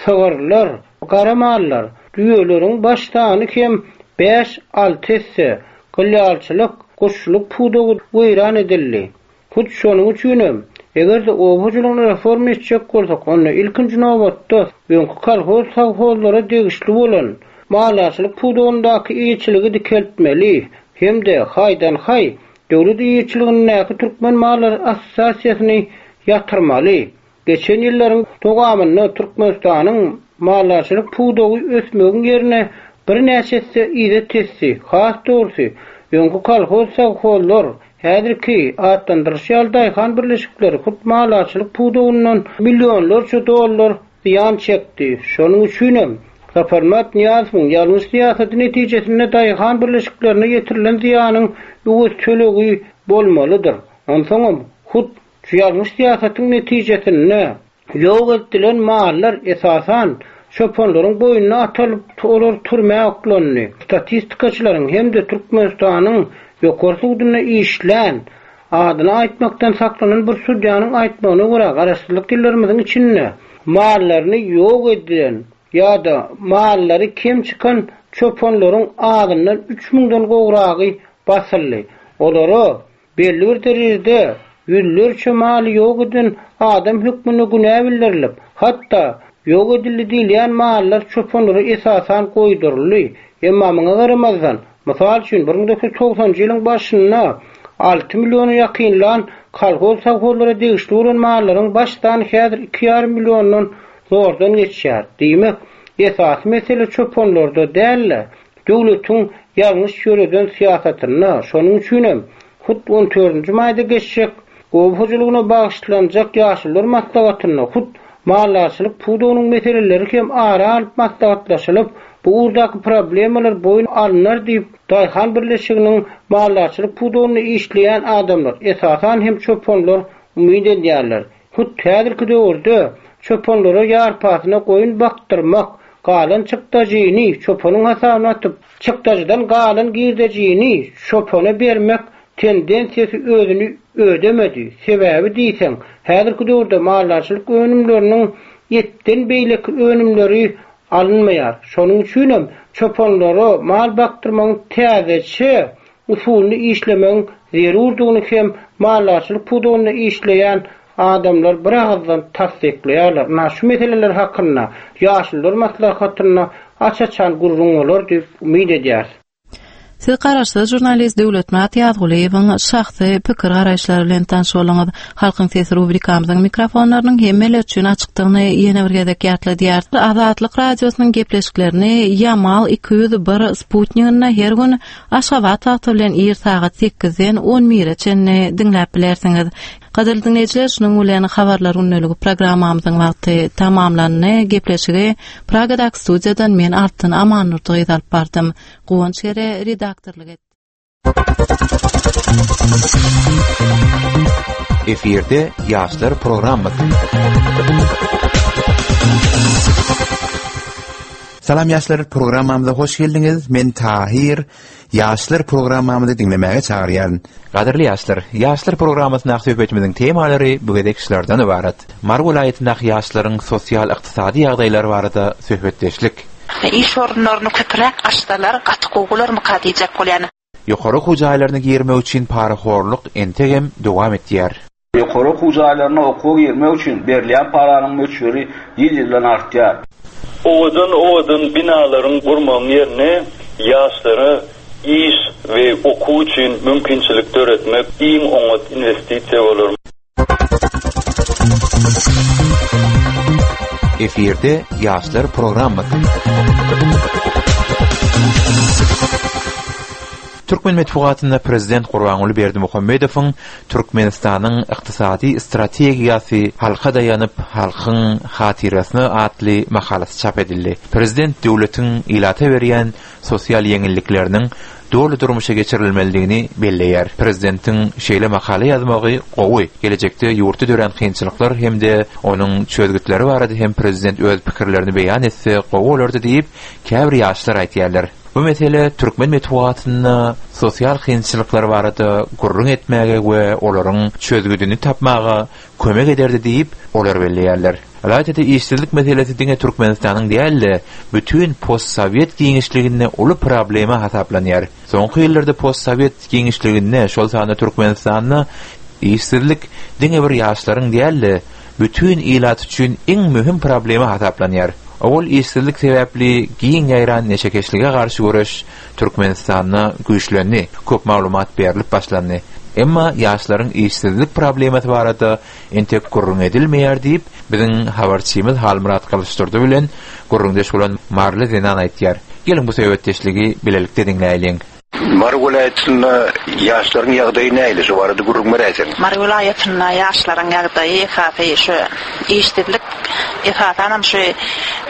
Sygyrlar, gara mallar, düýeleriň baş sany hem bäş-alty esse, gylýalçylyk, guşçulyk pudagy weýran edildi. Hut şonuň üçinem, eger-de oba hojalygyny reforma etjek bolsak, onda ilkinji nobatda öňki kolhoz sowhozlara degişli bolan maldarçylyk pudagyndaky eýeçiligi dikeltmeli hem-de haýdan-haý döwlet eýeçiligindäki Türkmen Mallary Assosiasiýasyny ýatyrmaly. Geçen ýyllaryň dowamynda Türkmenistanyň maldarçylyk pudagy ösmegiň ýerine birnäçe esse yza tesdi. Has dogrusy, öňki kolhoz sowhozlar, häzirki atlandyryş ýaly daýhan birleşikleri hut maldarçylyk pudagyndan millionlarça dollar zyýan çekdi. Şonuň üçinem Saparmyrat Nyýazowyň ýalňyş syýasaty netijesinde daýhan birleşiklerine ýetirilen zyýanyň öwez tölegi bolmalydyr. Onsoňam hut şu ýalňyş syýasatyň netijesinde ýok edilen mallar esasan çopanlaryň boýnuna atalyp, olar türmä oklandy. Statistikaçylaryň hem-de Türkmenistanyň ýokary sudunda işlän, adyny aýtmakdan saklanan bir sudýanyň aýtmagyna görä, garaşsyzlyk ýyllarymyzyň içinde mallaryny ýok edilen ýa-da mallary kem çykan çopanlaryň azyndan üç müňden gowragy basyldy. Olara belli bir derejede ýüzlerçe maly ýok eden adam hökmünde günä bildirilip, hatda ýok edildi diýilýän mallar çopanlara esasan goýduryldy. Emma muňa garamazdan, mysal üçin bir müň dokuz ýüz togsanjy ýylyň başynda alty milliona ýakynlan kolhoz sowhozlara degişli bolan mallaryň baş sany häzir iki ýarym milliondan zordan geçýär. Diýmek, esasy mesele çopanlarda däl-de, döwletiň ýalňyş ýöreden syýasatynda. Şonuň üçinem hut on dördünji maýda geçjek oba hojalygyna bagyşlanjak ýaşulular maslahatynda hut maldarçylyk pudagynyň meseleleri hem ara alyp maslahatlaşylyp, bu ugurdaky problemalar boýun alynar diýip, daýhan birleşiginiň maldarçylyk pudagynda işleýän adamlar, esasan hem çopanlar umyt edýärler. Hut häzirki döwürde çopanlara ýarpasyna goýun bakdyrmak, galan çykdajyny çopanyň hasabyna atyp, çykdajydan galan girdejini çopana bermek tendensiýasy özüni ödemedi. Sebäbi diýseň, häzirki döwürde maldarçylyk önümleriniň etden beýleki önümleri alynmaýar. Şonuň üçinem çopanlara mal bakdyrmagyň täzeçe usulyny işlemegiň zerurdygyny hem maldarçylyk pudagynda işleýän adamlar bir ağızdan tassyklaýarlar. Na şu meseleler hakynda ýaşulular maslahatynda aç-açan gürrüň bolar diýip umyt edýäris. Siz garaşsyz žurnalist Döwletmyrat Ýazgulyýewiň şahsy pikir garaýyşlary bilen tanyş bolduňyz. Halkyň sesi rubrikamyzyň mikrofonlarynyň hemmeler üçin açykdygyny ýene bir gezek ýatladýar. Azatlyk radiosynyň gepleşiklerini Yamal iki ýüz bir Sputniginde her gün Aşgabat wagty bilen ir sagat sekizden on bire çenli diňläp bilersiňiz. Gadyrly dinleýjiler, şunuň bilen habarlar gündeligi programmamyzyň wagty tamamlandy. Gepleşigi Pragadaky studiýadan men Altyn Amannurdy gyz alyp bardym. Guwanç Gere redaktorlyk etdi. Efirde Ýaşlar programmasy. Salam ýaşlar programmamyza hoş geldiňiz. Men Tahir. Ýaşlar programmamyzy diňlemäge çagyrýaryn. Gadyrly ýaşlar, Ýaşlar programmasyndaky söhbetimiziň temalary bu gezek şulardan ibarat. Mary welaýatyndaky ýaşlaryň sosial ykdysady ýagdaýlary barada söhbetdeşlik. Iş orunlaryny köpräk açsalar, gaty gowy bolarmyka diýjek bolýan. Ýokary okuw jaýlaryna girmek üçin parahorluk entegem dowam etýär. Ýokary okuw jaýlaryna okuwa girmek üçin berilýän paranyň möçberi ýyl-ýyldan artýar. Owadan owadan binalaryň gurmagyň ýerine ýaşlara iş we okuw üçin mümkinçilik döretmek iň oňat investisiýa bolar. Efirde Ýaşlar programmasy. Türkmen metbugatynda Prezident Gurbanguly Berdimuhamedowyň Türkmenistanyň ykdysady strategiýasy halka daýanyp, halkyň hatyrasyna atly makalasy çap edildi. Prezident döwletiň ilata berýän sosial ýeňillikleriniň doly durmuşa geçirilmelidigini belleýär. Prezidentiň şeýle makala ýazmagy gowy. Gelejekde ýurtda dörän kynçylyklar hem-de onuň çözgütleri barada hem prezident öz pikirlerini beýan etse gowy bolardy diýip, käbir ýaşlar aýtýarlar. Bu mesele türkmen metbugatynda sosial kynçylyklar barada gürrüň etmäge we olaryň çözgüdini tapmaga kömek ederdi diýip, olar belleýärler. Ylaýta-da işsizlik meselesi diňe Türkmenistanyň däl-de, bütün postsowet giňişliginde uly problema hasaplanýar. Soňky ýyllarda postsowet giňişliginde, şol sanda Türkmenistanda işsizlik diňe bir ýaşlaryň däl-de, bütün ilat üçin iň möhüm problema hasaplanýar. Owal işsizlik sebäpli giň ýaýran neşekeşlige garşy göreş Türkmenistanda güýçlendi, köp maglumat berilip başlandy. Emma ýaşlaryň işsizlik problemasy barada entek gürrüň edilmeýär diýip, biziň habarçymyz Halmyrat Gylyçdurdy bilen gürrüňdeş bolan Marly Zenan aýtýar. Geliň bu söhbetdeşligi bilelikde diňläýeliň. Mary welaýatynda ýaşlaryň ýagdaýy nähili? Şu barada gürrüň beräýseň. Mary welaýatynda ýaşlaryň ýagdaýy esasy şu işsizlik, esasanam şu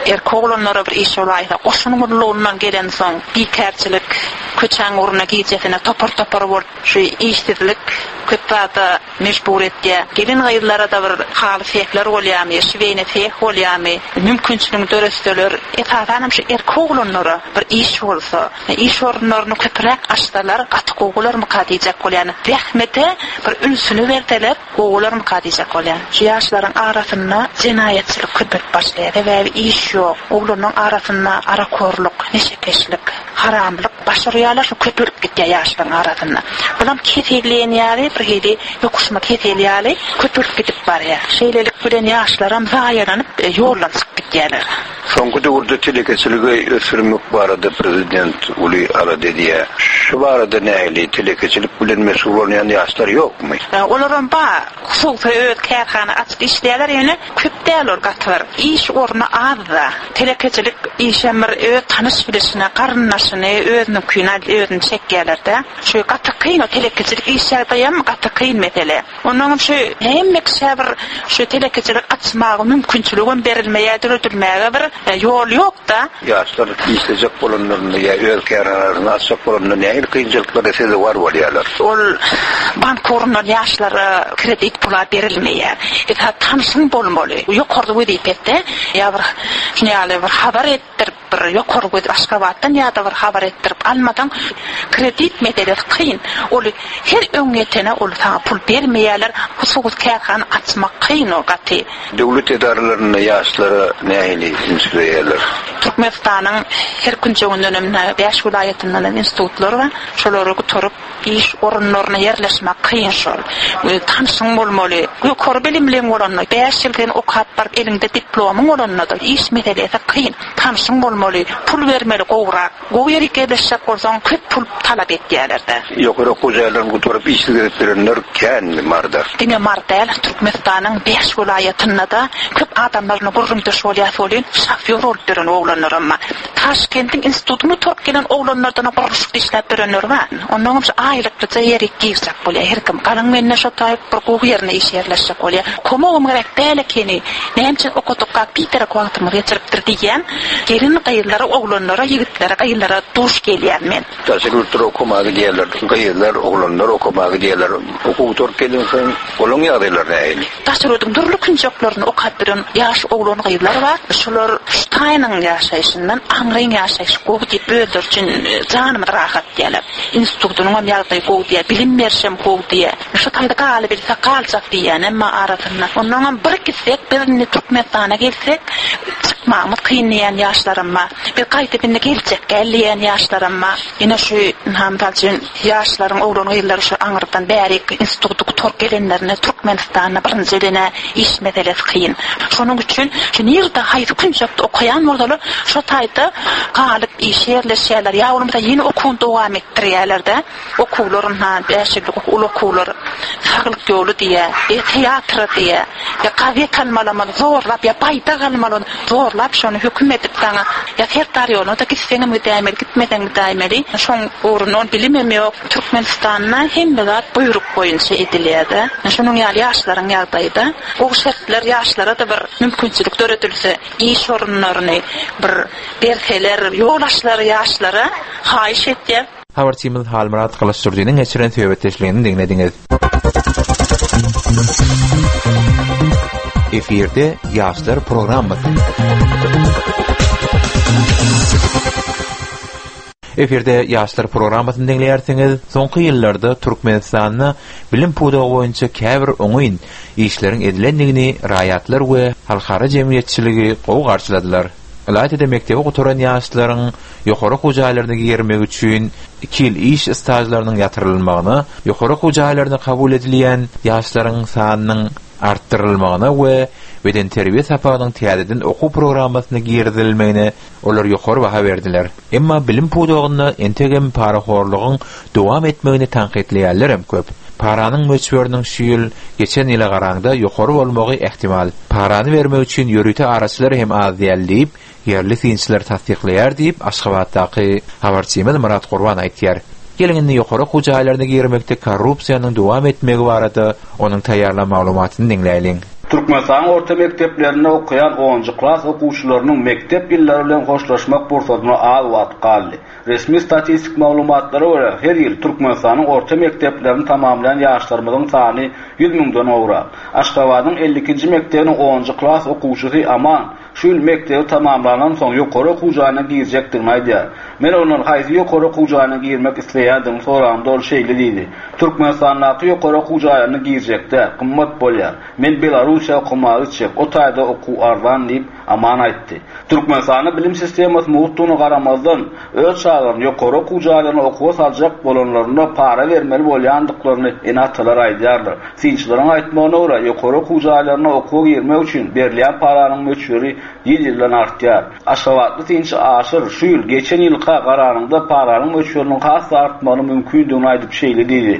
erkek oglanlara bir iş bolaýsa, goşun gurlugyndan gelen soň bikärçilik, köçäň ugruna gijesine topar-topar bolup şu işsizlik köp zada mejbur etýär. Gelin gyzlara da bir haly sehler bolýarmy, şiweýne seh bolýarmy, mümkinçiligiň döretseler, esasanam şu erkek oglanlara bir iş bolsa, iş orunlaryny köpräk açsalar, gaty gowy bolarmyka diýjek bolýan. Zähmete bir ünsüni berseler, gowy bolarmyka diýjek bolýan. Şu ýaşlaryň arasynda jenaýatçylyk köpelip başlaýar. Sebäbi iş ýok. Oglanlaryň arasynda arakorluk, neşekeşlik, haramlyk başarýarlar, şu köpelip gitýär ýaşlaryň arasynda. Bulam keselleýän ýaly, bir hili ýokuşma kesel ýaly köpelip gidip barýar. Şeýlelik bilen ýaşlaram zaýalanyp, e, ýoldan çykyp gitýärler. Soňky döwürde telekeçiligi ösdürmek barada prezident uly alada edýär. Şu barada nähili telekeçilik bilen meşgul bolýan ýaşlar ýokmy? E, olaram bar. Hususy öz kärhana açyp işleýärler, ýöne köp däl ol gaty bir. Iş orny az-da. Telekeçilik işem bir öz tanyş bilişine, garyndaşyny, özüniňkini özüni çekýärler-de. Şu gaty kyn o telekeçilik iş ýagdaýam gaty kyn mesele. Ondan şu hemme kişä bir şu telekeçilik açmaga mümkinçilik hem berilmeýär, döredilmäge bir e, ýol ýok-da. Ýaşlar işlejek bolanlarynda ýa öz kärhanalaryny açjak bolanlarynda nähili kynçylyklara sezewar bolýarlar? Ol bank orundan ýaşlara kredit pula berilmeýär. Esas tanşyň bolmaly. Ýokarda wezipede ýa bir şuny ýaly bir habar etdirip, bir ýokary wezip Aşgabatdan ýa-da bir habar etdirip almadan kredit meselesi kyn. Ol her öň ýetene ol saňa pul bermeýärler. Hususy kärhana açmak kyn o gaty. Döwlet edaralarynda ýaşlara nähili üns berýärler? Türkmenistanyň her künjeginden hem bäş welaýatyndan hem institutlar bar. Şolary gutaryp iş orunlaryna ýerleşmek kyn şol. E, tanşyň bolmaly. Ýokary bilimliň bolanda, bäş ýyl sen okap baryp eliňde diplomyň bolanda da iş meselesi kyn. Tanşyň bolmaly. bolmaly, pul bermeli gowrak. Gowy ýere ýerleşjek bolsaň köp pul talap etýärler-de. Ýokary okuw jaýlaryny gutaryp işsiz gezip ýörenler känmi Maryda? Diňe Mary däl, Türkmenistanyň bäş welaýatynda-da köp adamlaryna gürrüňdeş bolýas welin, şofýor bolup ýören oglanlaram bar. Taşkentiň institutyny gutaryp gelen oglanlardan gurluşykda işläp ýörenler bar. Onnoňam şu aýlyklyja ýere girjek bolýar her kim. Galyň mende şo taýyp bir gowy ýerine işe ýerleşjek bolýar. Komagym gerek däl ekeni. Näme üçin okadykka biderek wagtymyzy geçiripdir diýýän gelin gyzlara, oglanlara, ýigitlere, gyzlara duş gelýän men. Daşary ýurtlara okamaga gidýärler, gyzlar, oglanlar okamaga gidýärler. Okuw gutaryp gelensoň, olaryň ýagdaýlary nähili? Daşary ýurduň dürli künjeklerini okap ýören ýaş oglan gyzlar bar. Şular şu taýynyň ýaşaýşyndan aňryň ýaşaýşy gowy diýip özleri üçin janymyz rahat diýýärler. Institutynyň hem ýagdaýy gowy diýýär, bilim berişem gowy diýýär. Şu taýda galybilse galjak diýýän emma arasynda. Onnoňam bir gitsek, biz indi Türkmenistana gelsek, çykmagymyz kyn diýen ýaşlarym bar. Biz gaýdyp indi geljek gel diýen ýaşlarym bar. Ýene şu mysal üçin ýaşlaryň oglan gyzlary şu aňyrdan bärik instituty gutaryp gelenlerine Türkmenistanda birinji elene iş meselesi kyn. Şonuň üçin şu nirde haýsy künjekde okaýan bolsalar, şo taýda galyp işe ýerleşýärler. Ýa bolmasa ýene okuwyny dowam etdirýärler-de. Okuwlaryn ha bäş ýyllyk uly okuwlar, saglyk ýoly diýe, e, teatra diýe, ýa gazet almalamaly zorlap, ýa baýdak almaly zorlap şony höküm edip saňa, ýa Serdar ýoluna da gitseňem gidäýmeli, gitmeseň gidäýmeli. Şoň ugrunda ol bilimem ýok. Türkmenistanda hemme zat buýruk boýunça edilýär-de. Şonuň ýaly ýaşlaryň ýagdaýy-da. Gowy şertler ýaşlara da bir mümkinçilik döredilse, iş orunlaryny bir berseler, ýol açlary ýaşlara haýyş etýär. Habarçymyz Halmyrat Gylyçdurdynyň geçiren söhbetdeşligini diňlediňiz. Efirde Ýaşlar programmasy. Efirde Ýaşlar programmasyny diňleýärsiňiz. Soňky ýyllarda Türkmenistanda bilim pudagy boýunça käbir oňyn işleriň edilendigini raýatlar we halkara jemgyýetçiligi gowy garşyladylar. Ylaýta-da mekdebi gutaran ýaşlaryň ýokary okuw jaýlaryna girmek üçin iki ýyl iş stajlarynyň ýatyrylmagyna, ýokary okuw jaýlaryna kabul edilýän ýaşlaryň sanynyň artdyrylmagyna we bedenterbiýe sapagynyň täzeden okuw programmasyna girizilmegine olar ýokary baha berdiler. Emma bilim pudagynda entegem parahorlugyň dowam etmegini tankytlaýanlar hem köp. Paranyň möçberiniň şu ýyl geçen ýyla garaňda ýokary bolmagy ähtimal. Parany bermek üçin ýörite araçylar hem az däl diýip, ýerli synçylar tassyklaýar diýip, Aşgabatdaky habarçymyz Myrat Gurban aýtýar. Geliň indi ýokary okuw jaýlaryna girmekde korrupsiýanyň dowam etmegi barada onuň taýýarlan maglumatyny diňläýliň. Türkmenistanyň orta mekdeplerinde okaýan onunjy klas okuwçylarynyň mekdep ýyllary bilen hoşlaşmak pursatyna az wagt galdy. Resmi statistik maglumatlara görä, her ýyl Türkmenistanyň orta mekdeplerini tamamlaýan ýaşlarymyzyň sany ýüz müňden gowrak. Aşgabadyň elli ikinji mekdebiniň onunjy klas okuwçysy Aman şu ýyl mekdebi tamamlandan soň ýokary okuw jaýyna girjekdigini aýdýar. Men ondan haýsy ýokary okuw jaýyna girmek isleýändigini soramda ol şeýle diýdi: Türkmenistandaky ýokary okuw jaýlaryna girjekde gymmat bolýar. Men Belarusiýa okamaga gitjek, o taýda okuw arzan diýip Aman aýtdy. Türkmenistanda bilim sistemasy mugtdugyna garamazdan, öz çagalaryny ýokary okuw jaýlaryna okuwa saljak bolanlarynda para bermeli bolýandyklaryny ene-atalar aýdýarlar. Synçylaryň aýtmagyna görä, ýokary okuw jaýlaryna okuwa girmek üçin berilýän paranyň möçberi ýyl-ýyldan artýar. Aşgabatly synçy Aşyr şu ýyl geçen ýylka garanyňda paranyň möçberiniň has da artmagynyň mümkindigini aýdyp şeýle diýdi: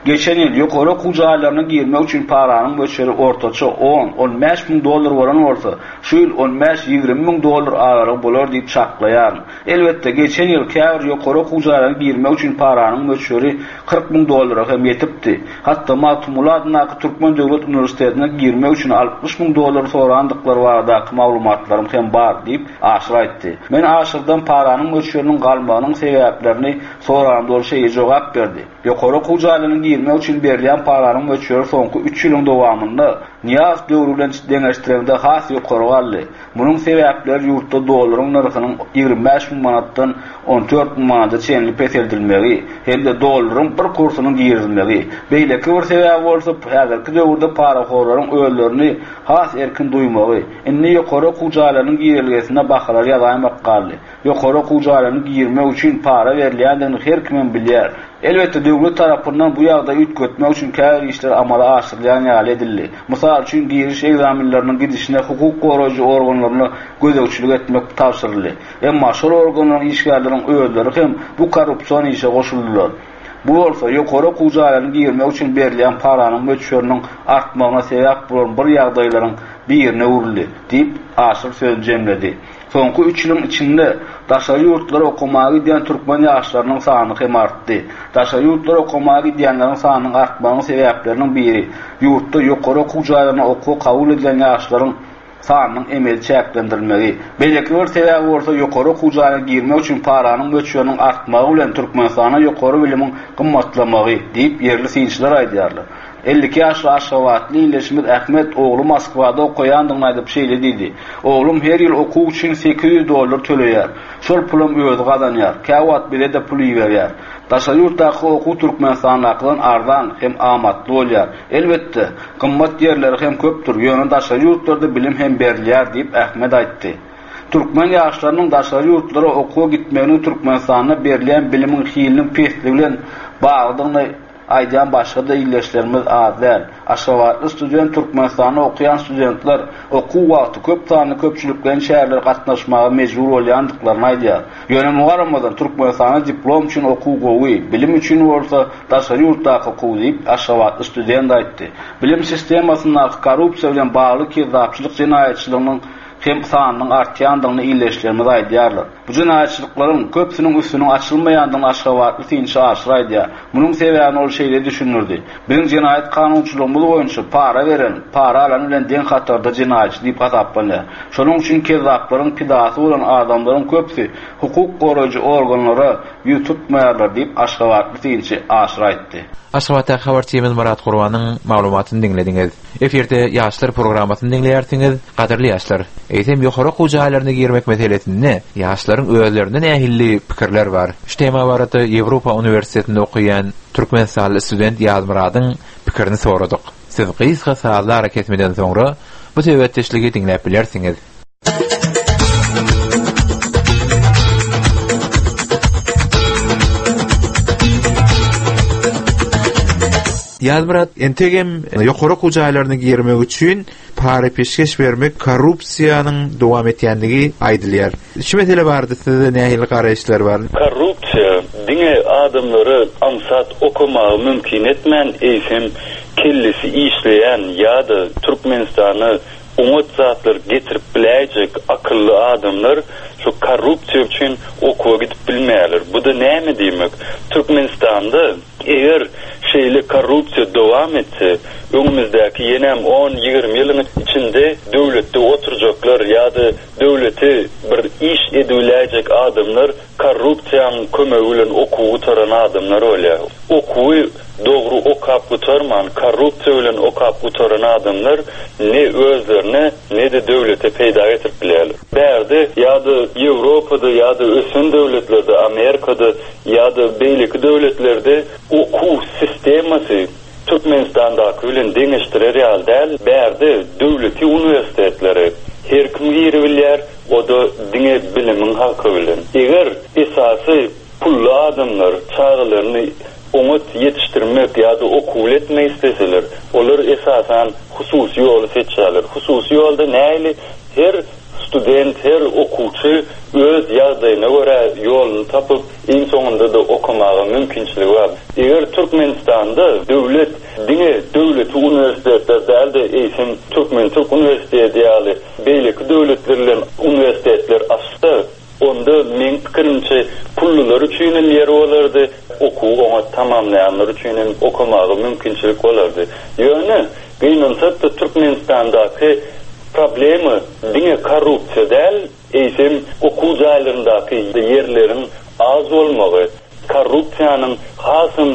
Geçen ýyl ýokary okuw jaýlaryna girmek üçin paranyň möçberi ortaça on, on bäş müň dollar bolan bolsa, şu ýyl on bäş, ýigrimi müň dollar aralygy bolar diýip çaklaýaryn. Elbetde, geçen ýyl käbir ýokary okuw jaýlaryna girmek üçin paranyň möçberi kyrk müň dollara hem ýetipdi. Hatda Magtymguly adyndaky Türkmen Döwlet Uniwersitetine girmek üçin altmyş müň dollar sorandyklary baradaky maglumatlarym hem bar diýip Aşyr aýtdy. Men Aşyrdan paranyň möçberiniň galmagynyň sebäplerini soramda ol şeýle jogap berdi: Ýokary okuw jaýlaryna girmek üçin berilýän paranyň möçberi soňky üç ýylyň dowamynda Nyýazow döwri bilen deňeşdirende has ýokary galdy. Munuň sebäpleri ýurtda dollaryň nyrhynyň ýigrimi bäş müň manatdan on dört müň manata çenli peseldilmegi hem-de dollaryň bir kursunyň girizilmegi. Beýleki bir sebäbi bolsa häzirki döwürde parahorlaryň özlerini has erkin duýmagy. Indi ýokary okuw Okuw jaýlarynyň girelgesinde bahalar ýazaýmak galdy. Ýokary okuw jaýlaryna girmek üçin para berilýändigini her kimem bilýär. Elbetde döwlet tarapyndan bu ýagdaýy üýtgetmek üçin käbir işler amala aşyrylýan ýaly edildi. Mysal üçin giriş ekzamenleriniň gidişine hukuk goraýjy organlaryna gözegçilik etmek tabşyryldy. Emma şol organlaryň işgärleriniň özleri hem bu korrupsion işe goşuldylar. Bu bolsa ýokary okuw jaýlaryna girmek üçin berilýän paranyň möçberiniň artmagyna sebäp bolan bir ýagdaýlaryň birine öwrüldi, diýip Aşyr sözüni jemledi. Soňky üç ýylyň içinde daşary ýurtlara okamaga gidýän türkmen ýaşlarynyň sany hem artdy. Daşary ýurtlara okamaga gidýänleriň sanynyň artmagynyň sebäpleriniň biri ýurtda ýokary okuw jaýlaryna okuwa kabul edilen ýaşlaryň sanynyň emeli çäklendirilmegi. Beýleki bir sebäbi bolsa ýokary okuw jaýyna girmek üçin paranyň möçberiniň artmagy bilen Türkmenistanda ýokary bilimiň gymmatlamagy diýip ýerli synçylar aýdýarlar. Elli iki ýaşly Aşgabatly ildeşimiz Ahmet ogly Moskwada okaýandygyny aýdyp şeýle diýdi: Oglum her ýyl okuw üçin sekiz ýüz dollar töleýär. Şol pulam özi gazanýar. Käwagt bize-de pul iberýär. Daşary ýurtdaky okuw Türkmenistandakydan arzan hem amatly bolýar. Elbetde, gymmat ýerleri hem köpdür, ýöne daşary ýurtlarda bilim hem berilýär diýip Ahmet aýtdy. Türkmen ýaşlarynyň daşary ýurtlara okuwa gitmeginiň Türkmenistanda berilýän bilimiň hiliniň pesligi bilen baglydygyny aýdýan başga-da ildeşlerimiz az däl. Aşgabatly student Türkmenistanda okaýan studentler okuw wagty köp sanly köpçülikleýin çärelere gatnaşmaga mejbur bolýandyklaryny aýdýar. Ýöne muňa garamazdan Türkmenistanda diplom üçin okuw gowy, bilim üçin bolsa daşary ýurtdaky okuw diýip Aşgabatly student aýtdy. Bilim sistemasyndaky korrupsiýa bilen bagly kezzapçylyk jenaýatçylygynyň hem sanynyň artýandygyny ildeşlerimiz aýdýarlar. Bu jenaýatçylyklaryň köpüsiniň üstüniň açylmaýandygyny Aşgabatly synçy Aşyr aýdýar. Munuň sebäbini ol şeýle düşündirdi. Biziň jenaýat kanunçylygymyz boýunça para beren, para alan bilen deň hatarda jenaýatçy diýip hasaplanýar. Şonuň üçin kezzaplaryň pidasy bolan adamlaryň köpüsi hukuk goraýjy organlara ýüz tutmaýarlar diýip Aşgabatly synçy Aşyr aýtdy. Aşgabatdaky habarçymyz Murat Gurbanyň maglumatyny diňlediňiz. Efirde ýaşlar programmasyny diňleýärsiňiz, gadyrly ýaşlar. Eýsem ýokary okuw jaýlaryna girmek meselesinde ýaşlaryň özlerinde nähili pikirler bar? Şu tema barada Ýewropa Uniwersitetinde okaýan Türkmenistanly student Ýazmyradyň pikirini soradyk. Siz gysga sazly arakesmeden soňra bu söhbetdeşligi diňläp bilersiňiz. Ýazmyrat, entegem ýokary okuw jaýlaryna girmek üçin para peşgeş bermek korrupsiýanyň dowam etýändigi aýdylýar. Şu mesele barada sizde nähili garaýyşlar bar? Korrupsiýa diňe adamlara aňsat okamagy mümkin etmän, eýsem kellesi işleýän ýa-da Türkmenistana oňat zatlar getirip biläýjek akylly adamlar şu korrupsiýa üçin okuwa gidip bilmeýärler. Bu da näme diýmek? Türkmenistanda eger şeýle korrupsiýa dowam etse, öňümizdäki ýenem on ýigrimi ýylyň içinde döwletde oturjaklar ýa-da döwleti bir iş edibiläýjek adamlar korrupsiýanyň kömegi bilen okuwy gutaran adamlar bolýar. Okuwy dogry okap gutarman, korrupsiýa bilen okap gutaran adamlar ne özlerine ne-de döwlete peýda getirip bilýärler. Bärde ýa-da Ýewropada ýa-da ösen döwletlerde, Amerikada ýa-da beýleki döwletlerde okuw sistemasy Türkmenistandaky bilen deňeşdirer ýaly däl. Bärde döwleti uniwersitetleri her kim girebilýär, o da diňe bilimiň haky bilen. Eger esasy pully adamlar çagalaryny oňat ýetişdirmek ýa-da okuw etmek isteseler, olar esasan hususy ýoly seçýärler. Hususy ýolda näli her student, her okuwçy öz ýagdaýyna görä ýoluny tapyp, iň soňunda da okamaga mümkinçiligi bar. Eger Türkmenistanda döwlet diňe döwleti uniwersitetler däl-de, eýsem Türkmen Türk uniwersiteti ýaly beýleki döwletler bilen uniwersitetler açsa, onda meň pikirimçe pullular üçin hem ýer bolardy, okuwy oňat tamamlaýanlar üçin hem okamaga mümkinçilik bolardy. Ýöne gynansak-da Türkmenistandaky problema diňe korrupsiýa däl, eýsem okuw jaýlaryndaky ýerleriň az bolmagy, korrupsiýanyň hasam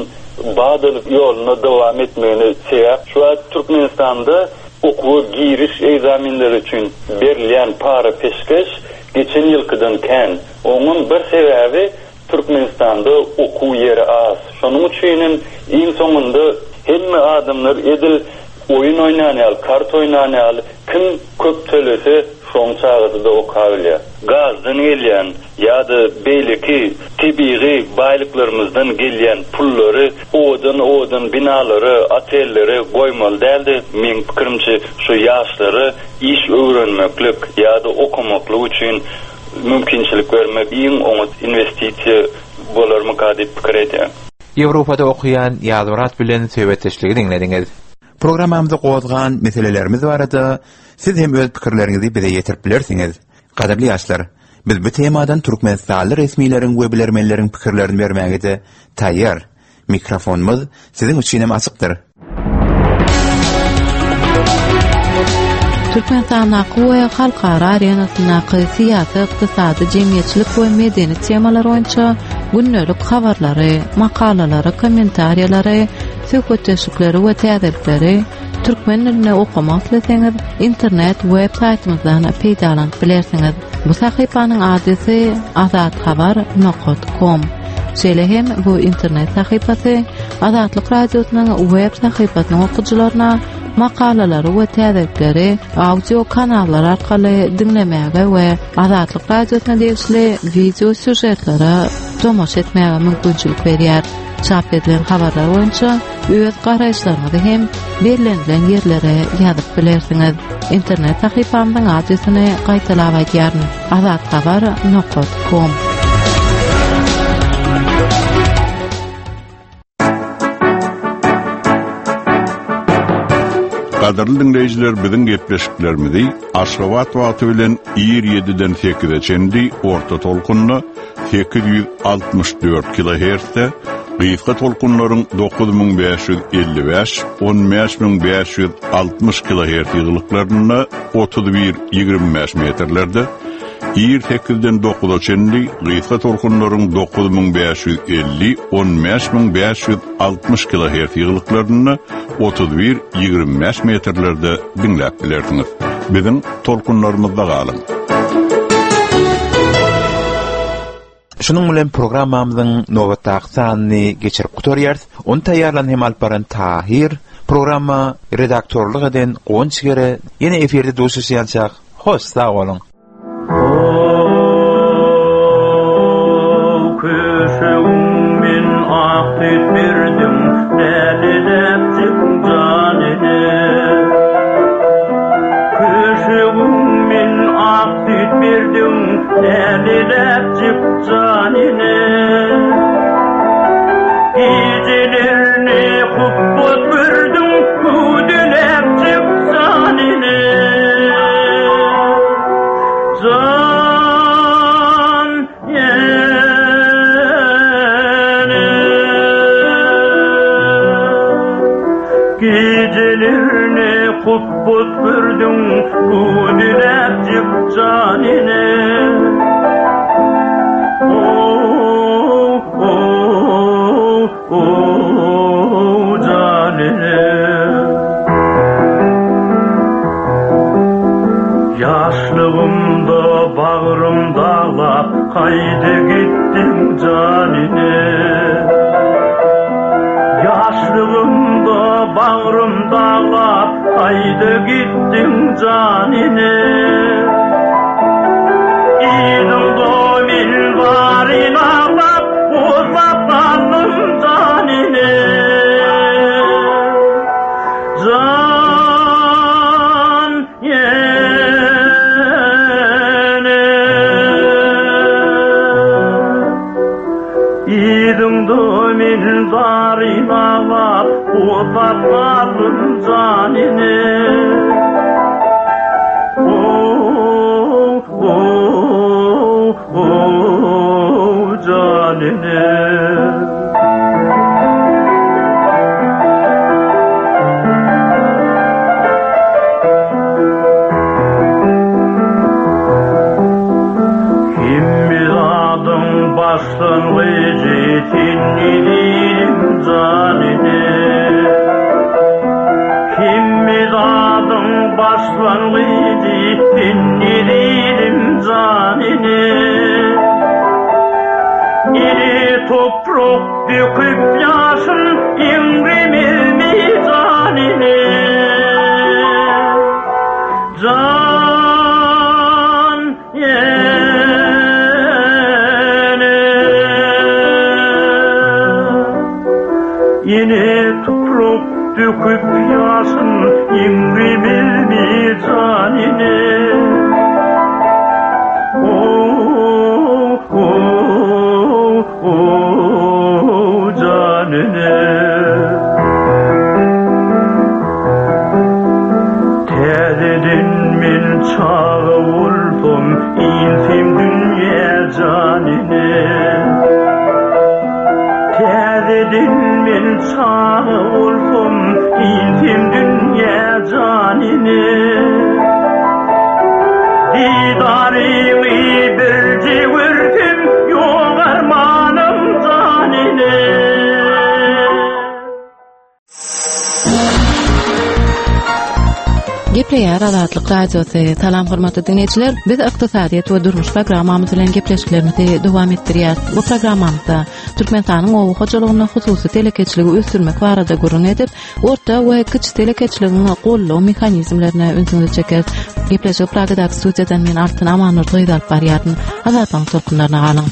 badalyk ýoluna dowam etmegine sebäp. Şu wagt Türkmenistanda okuwa giriş ekzamenleri üçin berilýän para peşgeş geçen ýylkydan kän. Onuň bir sebäbi Türkmenistanda okuw ýeri az. Şonuň üçin hem iň soňunda hemme adamlar edil oýun oýnan ýaly, kart oýnan ýaly, kim köp tölese Şoň çagasy-da okabilýär. Gazdan gelýän ýa-da beýleki tebigy baýlyklarymyzdan gelýän pullary owadan-owadan binalara, otellere goýmaly däl-de, meň pikirimçe, şu ýaşlara iş öwrenmeklik ýa-da okamaklyk üçin mümkinçilik bermek iň oňat inwestisiýa bolarmyka diýip pikir edýän. Ýewropada okaýan Ýazmyrat bilen söhbetdeşligi diňlediňiz. Programmamyzda gozgan meselelerimiz barada siz hem öz pikirleriňizi bize ýetirip bilersiňiz. Gadyrly ýaşlar, biz bu temadan Türkmenistanly resmileriň we bilermenleriň pikirlerini bermäge-de taýýar. Mikrofonumyz siziň üçin hem açykdyr. Türkmenistandaky we halkara arenasyndaky syýasy, ykdysady, jemgyýetçilik we medeni temalar boýunça gündelik habarlary, makalalary, kommentariýalary, söhbetdeşlikleri we täzelikleri türkmen dilinde okamak isleseňiz, internet web saýtymyzdan peýdalanyp bilersiňiz. Bu sahypanyň adresi azathabar nokat com. Şeýle hem bu internet sahypasy Azatlyk Radiosynyň web sahypasynyň okyjylaryna makalalary we täzelikleri audio kanallar arkaly diňlemäge we Azatlyk Radiosyna degişli wideo sýužetlere tomaşa etmäge mümkinçilik berýär. Çap edilen habarlar boýunça öz garaýyşlaryňyzy hem bellenilen ýerlere ýazyp bilersiňiz. Internet sahypamyzyň adresini gaýtalap aýdýaryn: azathabar nokat com. Gadyrly dinleýjiler, biziň gepleşiklerimizi Aşgabat wagty bilen ir ýediden sekize çenli orta tolkunda sekiz ýüz altmyş dört kilohertzde, gysga tolkunlaryň dokuz müň bäş ýüz elli bäş, on bäş müň bäş ýüz altmyş kilohertz ýygylyklarynda otuz bir ýigrimi bäş metrlerde, ir sekizden dokuza çenli gysga tolkunlaryň dokuz müň bäş ýüz elli, on bäş müň bäş ýüz altmyş kilohertz ýygylyklarynda otuz bir ýigrimi bäş metrlerde diňläp bilersiňiz. Biziň tolkunlarymyzda galyň. Şunuň bilen programmamyzyň nobatdaky sanyny geçirip gutarýarys. Ony taýýarlan hem alyp baran Tahir, programma redaktorlyk eden Guwanç Gere, ýene efirde duşuşýançak. Hoş sag boluň. Kutbut gördüm, kudüläpjik janine. Oh, oh, oh, janine. Yaşlığımda bağrım dağlap, haydi gittim canine. Yaşlığımda bağrım dağlap, haydi gittim canine. İdim domin varin ağlap, uzatlandım canine. Can yene. İdim domin varin ağlap, uzatlandım canine. Oh, oh, oh, canine. Kimmiz adım başlangıcı tinnidim canine. Kimmiz adım başlangıcı tinnidim canine. İri toprak döküp yaşın imrimiz canine. Can Yine toprak döküp yaşın İmrimizmi canine Oh, oh, oh, canine Täzeden men çaga bolsam, insem dünýä canine. Täzeden men çaga bolsam, insem dünýä canine. Didaryňy birje görsem, ýok armanym canine. Gepleýär Azatlyk Radiosy. Salam hormatly dinleýjiler. Biz ykdysadyýet we durmuş programmamyz bilen gepleşiklerimizi dowam etdirýäris. Bu programmamyzda Türkmenistanyň oba hojalygynda hususy telekeçiligi ösdürmek barada gürrüň edip, orta we kiçi telekeçiligiň goldaw mehanizmlerine ünsüňizi çekeris. Gepleşik Pragadaky studiýadan men Altyn Amanurdy gyz alyp barýaryn. Azatlygyň tolkunlaryna galyň.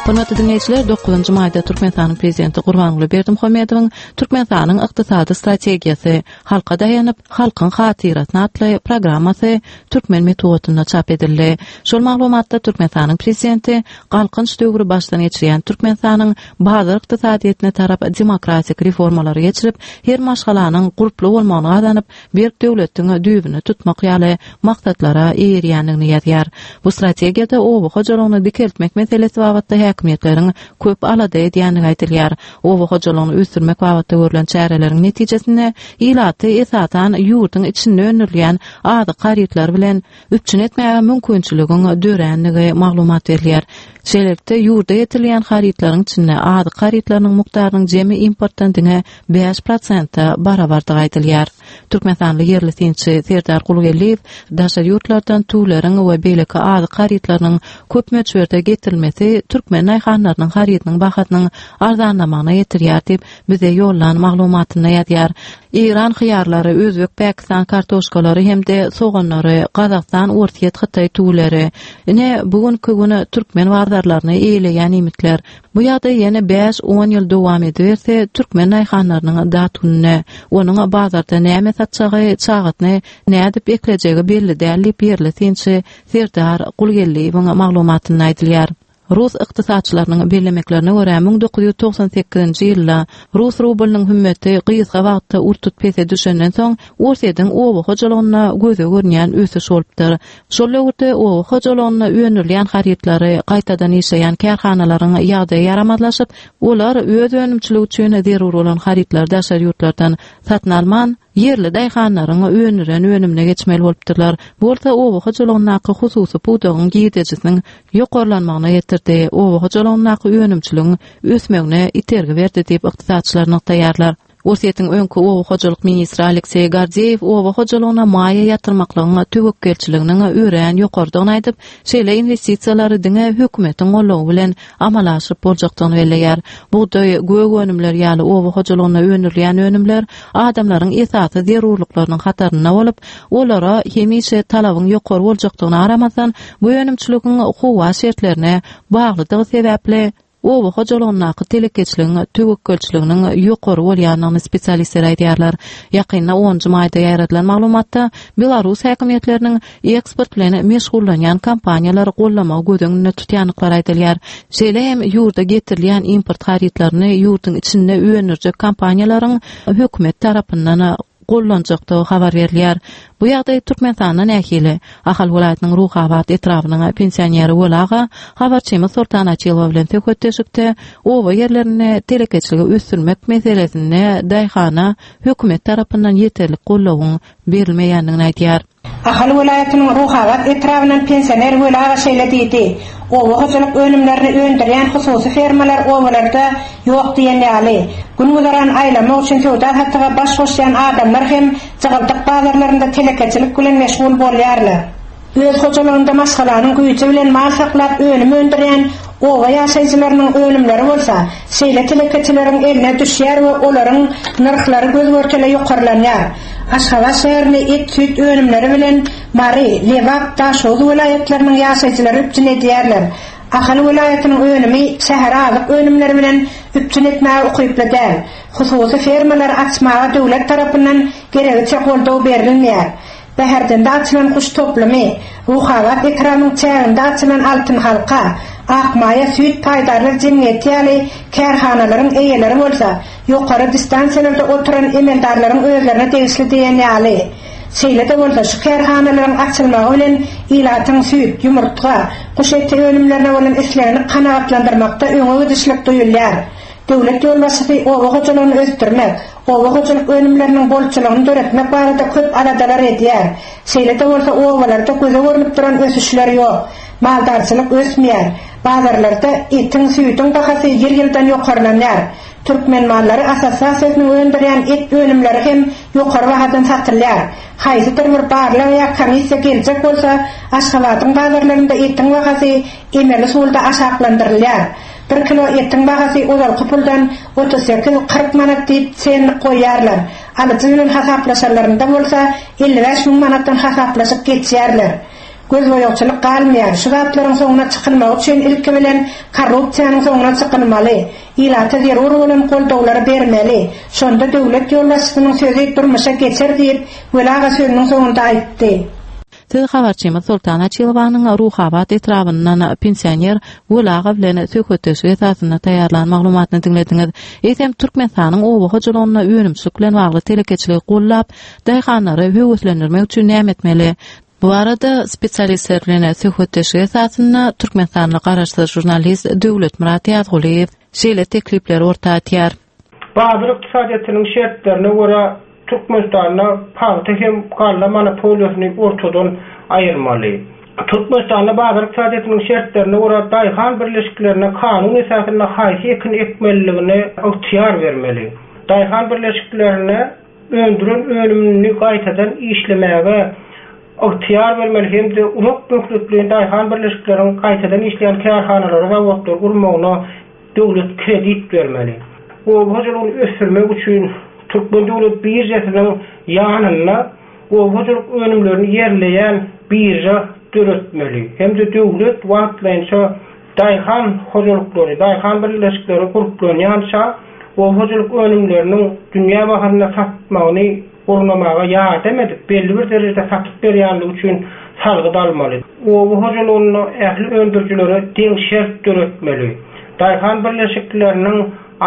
Hormatly dinleýjiler, dokuzynjy maýda Türkmenistanyň prezidenti Gurbanguly Berdimuhamedowyň Türkmenistanyň ykdysady strategiýasy halka daýanyp, halkyň hatyrasyna atly programmasy türkmen metbugatynda çap edildi. Şol maglumatda Türkmenistanyň prezidenti Galkynç döwri başdan geçirýän Türkmenistanyň bazar ykdysadyýetine tarap demokratik reformalary geçirip, her maşgalanyň gurply bolmagyny gazanyp, berk döwletiň düýbüni tutmak ýaly maksatlara eýerýändigini ýazýar. Bu strategiýada oba hojalygyny dikeltmek meselesi babatda häkimiýetleriň köp alada edýändigi aýdylýar. Oba hojalygyny ösdürmek babatda görülen çäreleriň netijesinde ilaty esasan ýurduň içinde öndürilýän azyk harytlary bilen üpjün etmäge mümkinçiligiň döränligi maglumat berilýär. Şeýlelikde ýurda getirilýän harytlaryň içinde azyk harytlarynyň mukdarynyň jemi importdan diňe bäş prosente barabardygy aýdylýar. Türkmenistanly ýerli synçy Serdar Gulgeldiýew daşary ýurtlardan tüwleriň we beýleki azyk harytlarynyň köp möçberde getirilmesi türkmen daýhanlarynyň harydynyň bahasynyň arzanlamagyna getirýär diýip bize ýollan maglumatynda ýazýar. Eýran hyýarlary, Özbek, Pakistan kartoşkalary hem-de soganlary, Gazagystan, Orsýet, Hytaý tüwleri. Ine bugünkü güne türkmen bazarlaryny eýeleýän iýmitler. Bu ýagdaý ýene bäş on ýyl dowam ediberse, türkmen daýhanlarynyň dat gününe, onuň bazarda näme satjagy, çagasyny nädip eklejegi belli däl diýip ýerli synçy Serdar Gulgeldiýewiň maglumatynda aýdylýar. Rus ykdysatçylarynyň bellemeklerine görä müň dokuz ýüz togsan sekizinji ýylda Rus rublynyň hümmeti gysga wagtda ur-tut pese düşenden soň Orsýetiň oba hojalygynda göze görünýän ösüş bolupdyr. Şol döwürde oba hojalygynda öndürilýän harytlary gaýtadan işleýän kärhanalaryň ýagdaýy ýaramazlaşyp, olar öz önümçiligi üçin zerur bolan harytlary daşary ýurtlardan satyn alman, ýerli daýhanlaryň öndüren önümine geçmeli bolupdyrlar. Bu bolsa oba hojalygyndaky hususy pudagyň girdejisiniň ýokarlanmagyna getirdi. Oba hojalygyndaky önümçiligiň ösmegine itergi berdi diýip ykdysatçylar nygtaýarlar. Orsýetiň öňki oba hojalyk ministri Alekseý Gordeýew oba hojalygyna maýa ýatyrmaklygyň töwekgelçiliginiň örän ýokardygyny aýdyp, şeýle investisiýalary diňe hökümetiň goldawy bilen amala aşyryp boljakdygyny belleýär. Bugdaý, gök önümler ýaly oba hojalygynda öndürilýän önümler adamlaryň esasy zerurlyklarynyň hatarynda bolup, olara hemişe talabyň ýokary boljakdygyny aramazdan, bu önümçiligiň howa şertlerine baglydygy sebäpli oba hojalygyndaky telekeçiligiň töwekgelçiliginiň ýokary bolýandygyny spesialistler aýdýarlar. Ýakynda onunjy maýda ýaýradylan maglumatda Belarus häkimiýetleriniň eksport bilen meşgullanýan kompaniýalary gollamagy göz öňünde tutýandyklary aýdylýar. Şeýle hem ýurda getirilýän import harytlaryny ýurduň içinde öndürjek kompaniýalaryň hökümet tarapyndan gollanjakdygy habar berilýär. Bu ýagdaý Türkmenistanda nähili? Ahal welaýatynyň Ruhabat etrabynyň pensioneri Welaga habarçymyz Sultan Açylowa bilen söhbetdeşlikde oba ýerlerinde telekeçiligi ösdürmek meselesinde daýhana hökümet tarapyndan ýeterlik goldawyň berilmeýändigini aýdýar. Ahal welaýatynyň Ruhabat etrabyndan pensioner Welaga şeýle diýdi. Oba hojalyk önümlerini öndürýän hususy fermalar obalarda ýok diýen ýaly. Gün güzeran aýlamak üçin söwda satyga baş goşýan adamlar hem jygyldyk bazarlarynda telekeçilik bilen meşgul bolýarlar. Öz hojalygynda maşgalanyň güýji bilen mal saklap önüm öndürýän oba ýaşaýjylarynyň önümleri bolsa, şeýle telekeçileriň eline düşýär we olaryň nyrhlary göz görtele ýokarlanýar. Aşgabat şäherinde et süýt önümleri bilen Mary, Lebap, Daşoguz welaýatlarynyň ýaşaýjylary üpjün edýärler. Ahal welaýatynyň önümi şähere azyk önümleri bilen üpjün etmäge ukyply däl. Hususy fermalary açmaga döwlet tarapyndan geregiçe goldaw berilmeýär. Bäherdende açylan guş toplumy, Ruhabat etrabynyň çäginde açylan Altyn halka, Akmaýa süýt paýdarlar jemgyýeti ýaly kärhanalaryň eýeleri bolsa, ýokary distansiýalarda oturan emeldarlaryň özlerine degişli diýen ýaly. Şeýle-de bolsa şu kärhanalaryň açylmagy bilen ilatyň süýt, ýumurtga, guş eti önümlerine bolan islegini kanagatlandyrmakda öňe gidişlik duýulýar. Döwlet ýolbaşçysy oba hojalygyny ösdürmek, oba hojalyk önümleriniň bolçulygyny döretmek barada köp aladalar edýär. Şeýle-de bolsa obalarda göze görnüp duran ösüşler ýok. Maldarçylyk ösmeýär. Bazarlarda etiň, süýdüň bahasy ýyl-ýyldan ýokarlanýar. Türkmen mallary assosiasiýasynyň öndürýän et önümleri hem ýokary bahadan satylýar. Haýsydyr bir barlag ýa komissiýa geljek bolsa, Aşgabadyň bazarlarynda etiň bahasy emeli usulda aşaklandyrylýar. Bir kilo etiň bahasy ozalky puldan otuz sekiz kyrk manat diýip senlik goýýarlar. Alyjy bilen hasaplaşanlarynda bolsa elli bäş müň manatdan hasaplaşyp geçýärler. Göz boýagçylyk galmaýar. Şu zatlaryň soňuna çykylmagy üçin ilki bilen korrupsiýanyň soňuna çykylmaly. Ilata zerur bolan goldawlary bermeli. Şonda döwlet ýolbaşçysynyň sözi durmuşa geçer diýip, Weli aga sözüniň soňunda aýtdy. Siz habarçymyz Sultan Açylowanyň Ruhabat etrabyndan pensioner Weli aga bilen söhbetdeşlik esasynda taýýarlan maglumatyny diňlediňiz. Eýsem Türkmenistanyň oba hojalygynda önümçilik bilen bagly telekeçiligi gollap, daýhanlary höweslendirmek üçin näme etmeli? Bu arada spesialistler bilen söhbetdeşlik esasynda Türkmenistanly garaşsyz žurnalist Döwletmyrat Ýazgulyýew şeýle teklipleri orta atýar. Bazar ykdysadyýetiniň şertlerine görä Türkmenistanda pagta hem galla monopoliýasyny ortadan aýyrmaly. Türkmenistanda bazar ykdysadyýetiniň şertlerine görä daýhan birleşiklerine kanun esasynda haýsy ekin ekmeliligine ygtyýar bermeli. Daýhan birleşiklerine öndüren önümini gaýtadan işlemäge ygtyýar bermeli hem-de uzak möhletli daýhan birleşikleriniň gaýtadan işleýän kärhanalary zawodlar gurmagyna döwlet kredit bermeli. Oba hojalygyny ösdürmek üçin Türkmen döwlet birjasynyň ýanynda oba hojalyk önümlerini ýerleýän birja döretmeli. Hem-de döwlet wagtlaýynça daýhan hojalyklary, daýhan birleşikleri gurplanýança oba hojalyk önümleriniň dünýä baharynda satmagyny gurnamaga ýardam edip, belli bir derejede satyp berýänligi üçin salgyt almaly. Oba hojalygynda ähli öndürijilere deň şert döretmeli. Daýhan birleşikleriniň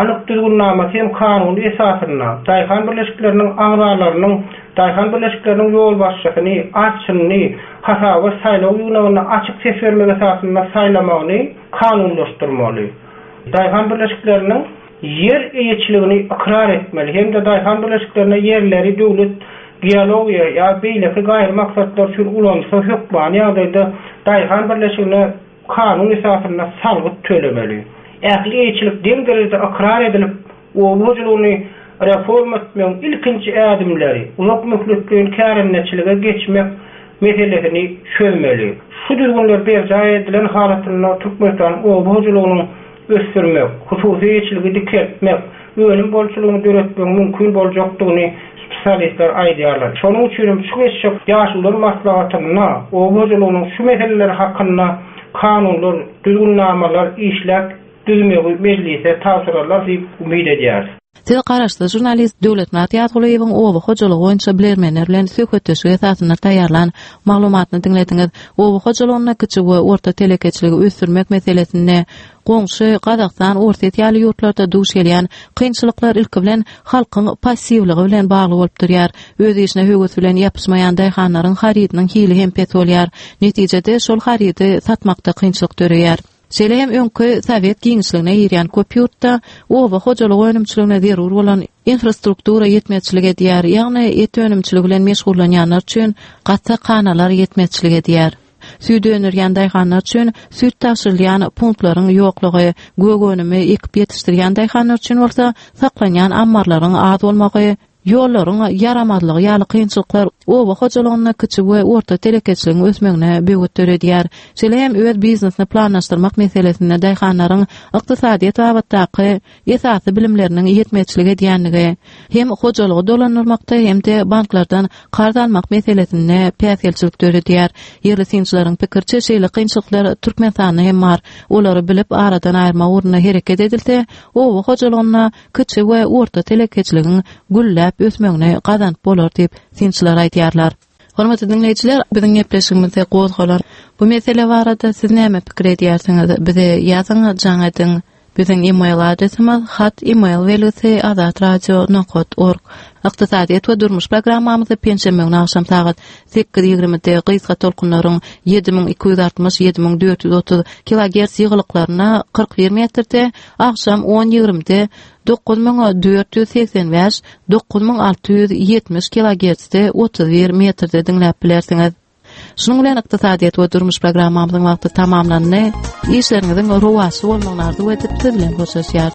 anyk düzgünnamasy hem kanuny esasynda daýhan birleşikleriniň agzalarynyň daýhan birleşikleriniň ýolbaşçysyny, arçynyny hasaba saýlaw ýygnagynda açyk ses bermek esasynda saýlamagyny kanunlaşdyrmaly. Daýhan birleşikleriniň ýer eýeçiligini ykrar etmeli hem-de daýhan birleşiklerine ýerleri döwlet geologiýa ýa beýleki gaýry maksatlar üçin ulansa hökmany ýagdaýda daýhan birleşigine kanun esasynda salgyt tölemeli. Ähli eýeçilik deň derejede ykrar edilip, oba hojalygyny reforma etmegiň ilkinji ädimleri, uzak möhletleýin kärendeçilige geçmek meselesini çözmeli. Şu düzgünler berjaý edilen halatynda Türkmenistanyň oba hojalygynyň ösdürmek, hususy eýeçiligi dikeltmek, önüm bolçulygyny döretmegiň mümkin boljakdygyny spesialistler aýdýarlar. Şonuň üçin şu geçjek ýaşulular maslahatynda oba hojalygynyň şu meseleleri hakynda kanunlar, düzgünnamalar işläp düzmegi mejlise tabşyrarlar diýip umyt edýäris. Siz garaşsyz žurnalist Döwletmyrat Ýazgulyýewiň oba hojalygy boýunça bilermenler bilen söhbetdeşlik esasynda taýýarlan maglumatyny diňlediňiz. Oba hojalygynda kiçi we orta telekeçiligi ösdürmek meselesinde goňşy Gazagystan, Orsýet ýaly ýurtlarda duş gelýän kynçylyklar ilki bilen halkyň passiwligi bilen bagly bolup durýar. Öz işine höwes bilen ýapyşmaýan daýhanlaryň harydynyň hili hem pes bolýar. Netijede şol harydy satmakda kynçylyk döreýär. Şeýle hem öňki Sowet giňişligine girýän köp ýurtda oba hojalyk önümçiligine zerur bolan infrastruktura ýetmezçilik edýär, ýagny et önümçiligi bilen meşgullanýanlar üçin gassapxanalar ýetmezçilik edýär. Süýt öndürýän daýhanlar üçin süýt tabşyrylýan punktlaryň ýoklugy, gök önümi ekip ýetişdirýän daýhanlar üçin bolsa saklanýan ammarlaryň az bolmagy ýollaryň ýaramazlygy ýaly kynçylyklar oba hojalygynda kiçi we orta telekeçiligiň ösmegine böwet döredýär. Şeýle hem öz biznesini planlaşdyrmak meselesinde daýhanlaryň ykdysadyýet babatdaky esasy bilimleriniň ýetmezçilik edýänligi, hem hojalygy dolandyrmakda hem-de banklardan karz almak meselesinde päsgelçilik döredýär. Ýerli synçylaryň pikiriçe şeýle kynçylyklar Türkmenistanda hem bar. Olary bilip aradan aýyrmak ugrunda hereket edilse, oba hojalygynda kiçi we orta telekeçiligiň gülläp ösmegini gazanyp bolar diýip synçylar aýdýarlar. Hormatly dinleýjiler, biziň gepleşigimizde gozgalan bu mesele barada siz näme pikir edýärsiňiz? Bize ýazyň, jaň ediň. Biziň e-mail adresimiz hat e-mail belgisi azatradio.org. Ykdysadyýet we durmuş programmamyzy penşenbe güni agşam sagat sekiz ýigrimide gysga tolkunlaryň ýedi müň iki ýüz altmyş ýedi müň dört ýüz otuz kilogertz ýygylyklarynda kyrk bir metrde, agşam on ýigrimide dokuz müň dört ýüz segsen bäş dokuz müň alty ýüz ýetmiş kilogertzde otuz bir metrde diňläp bilersiňiz. Şunuň bilen ykdysadyýet we durmuş programmamyzyň wagty tamamlandy. Işleriňiziň rowaçly bolmagyny arzuw edip, siz bilen hoşlaşýarys.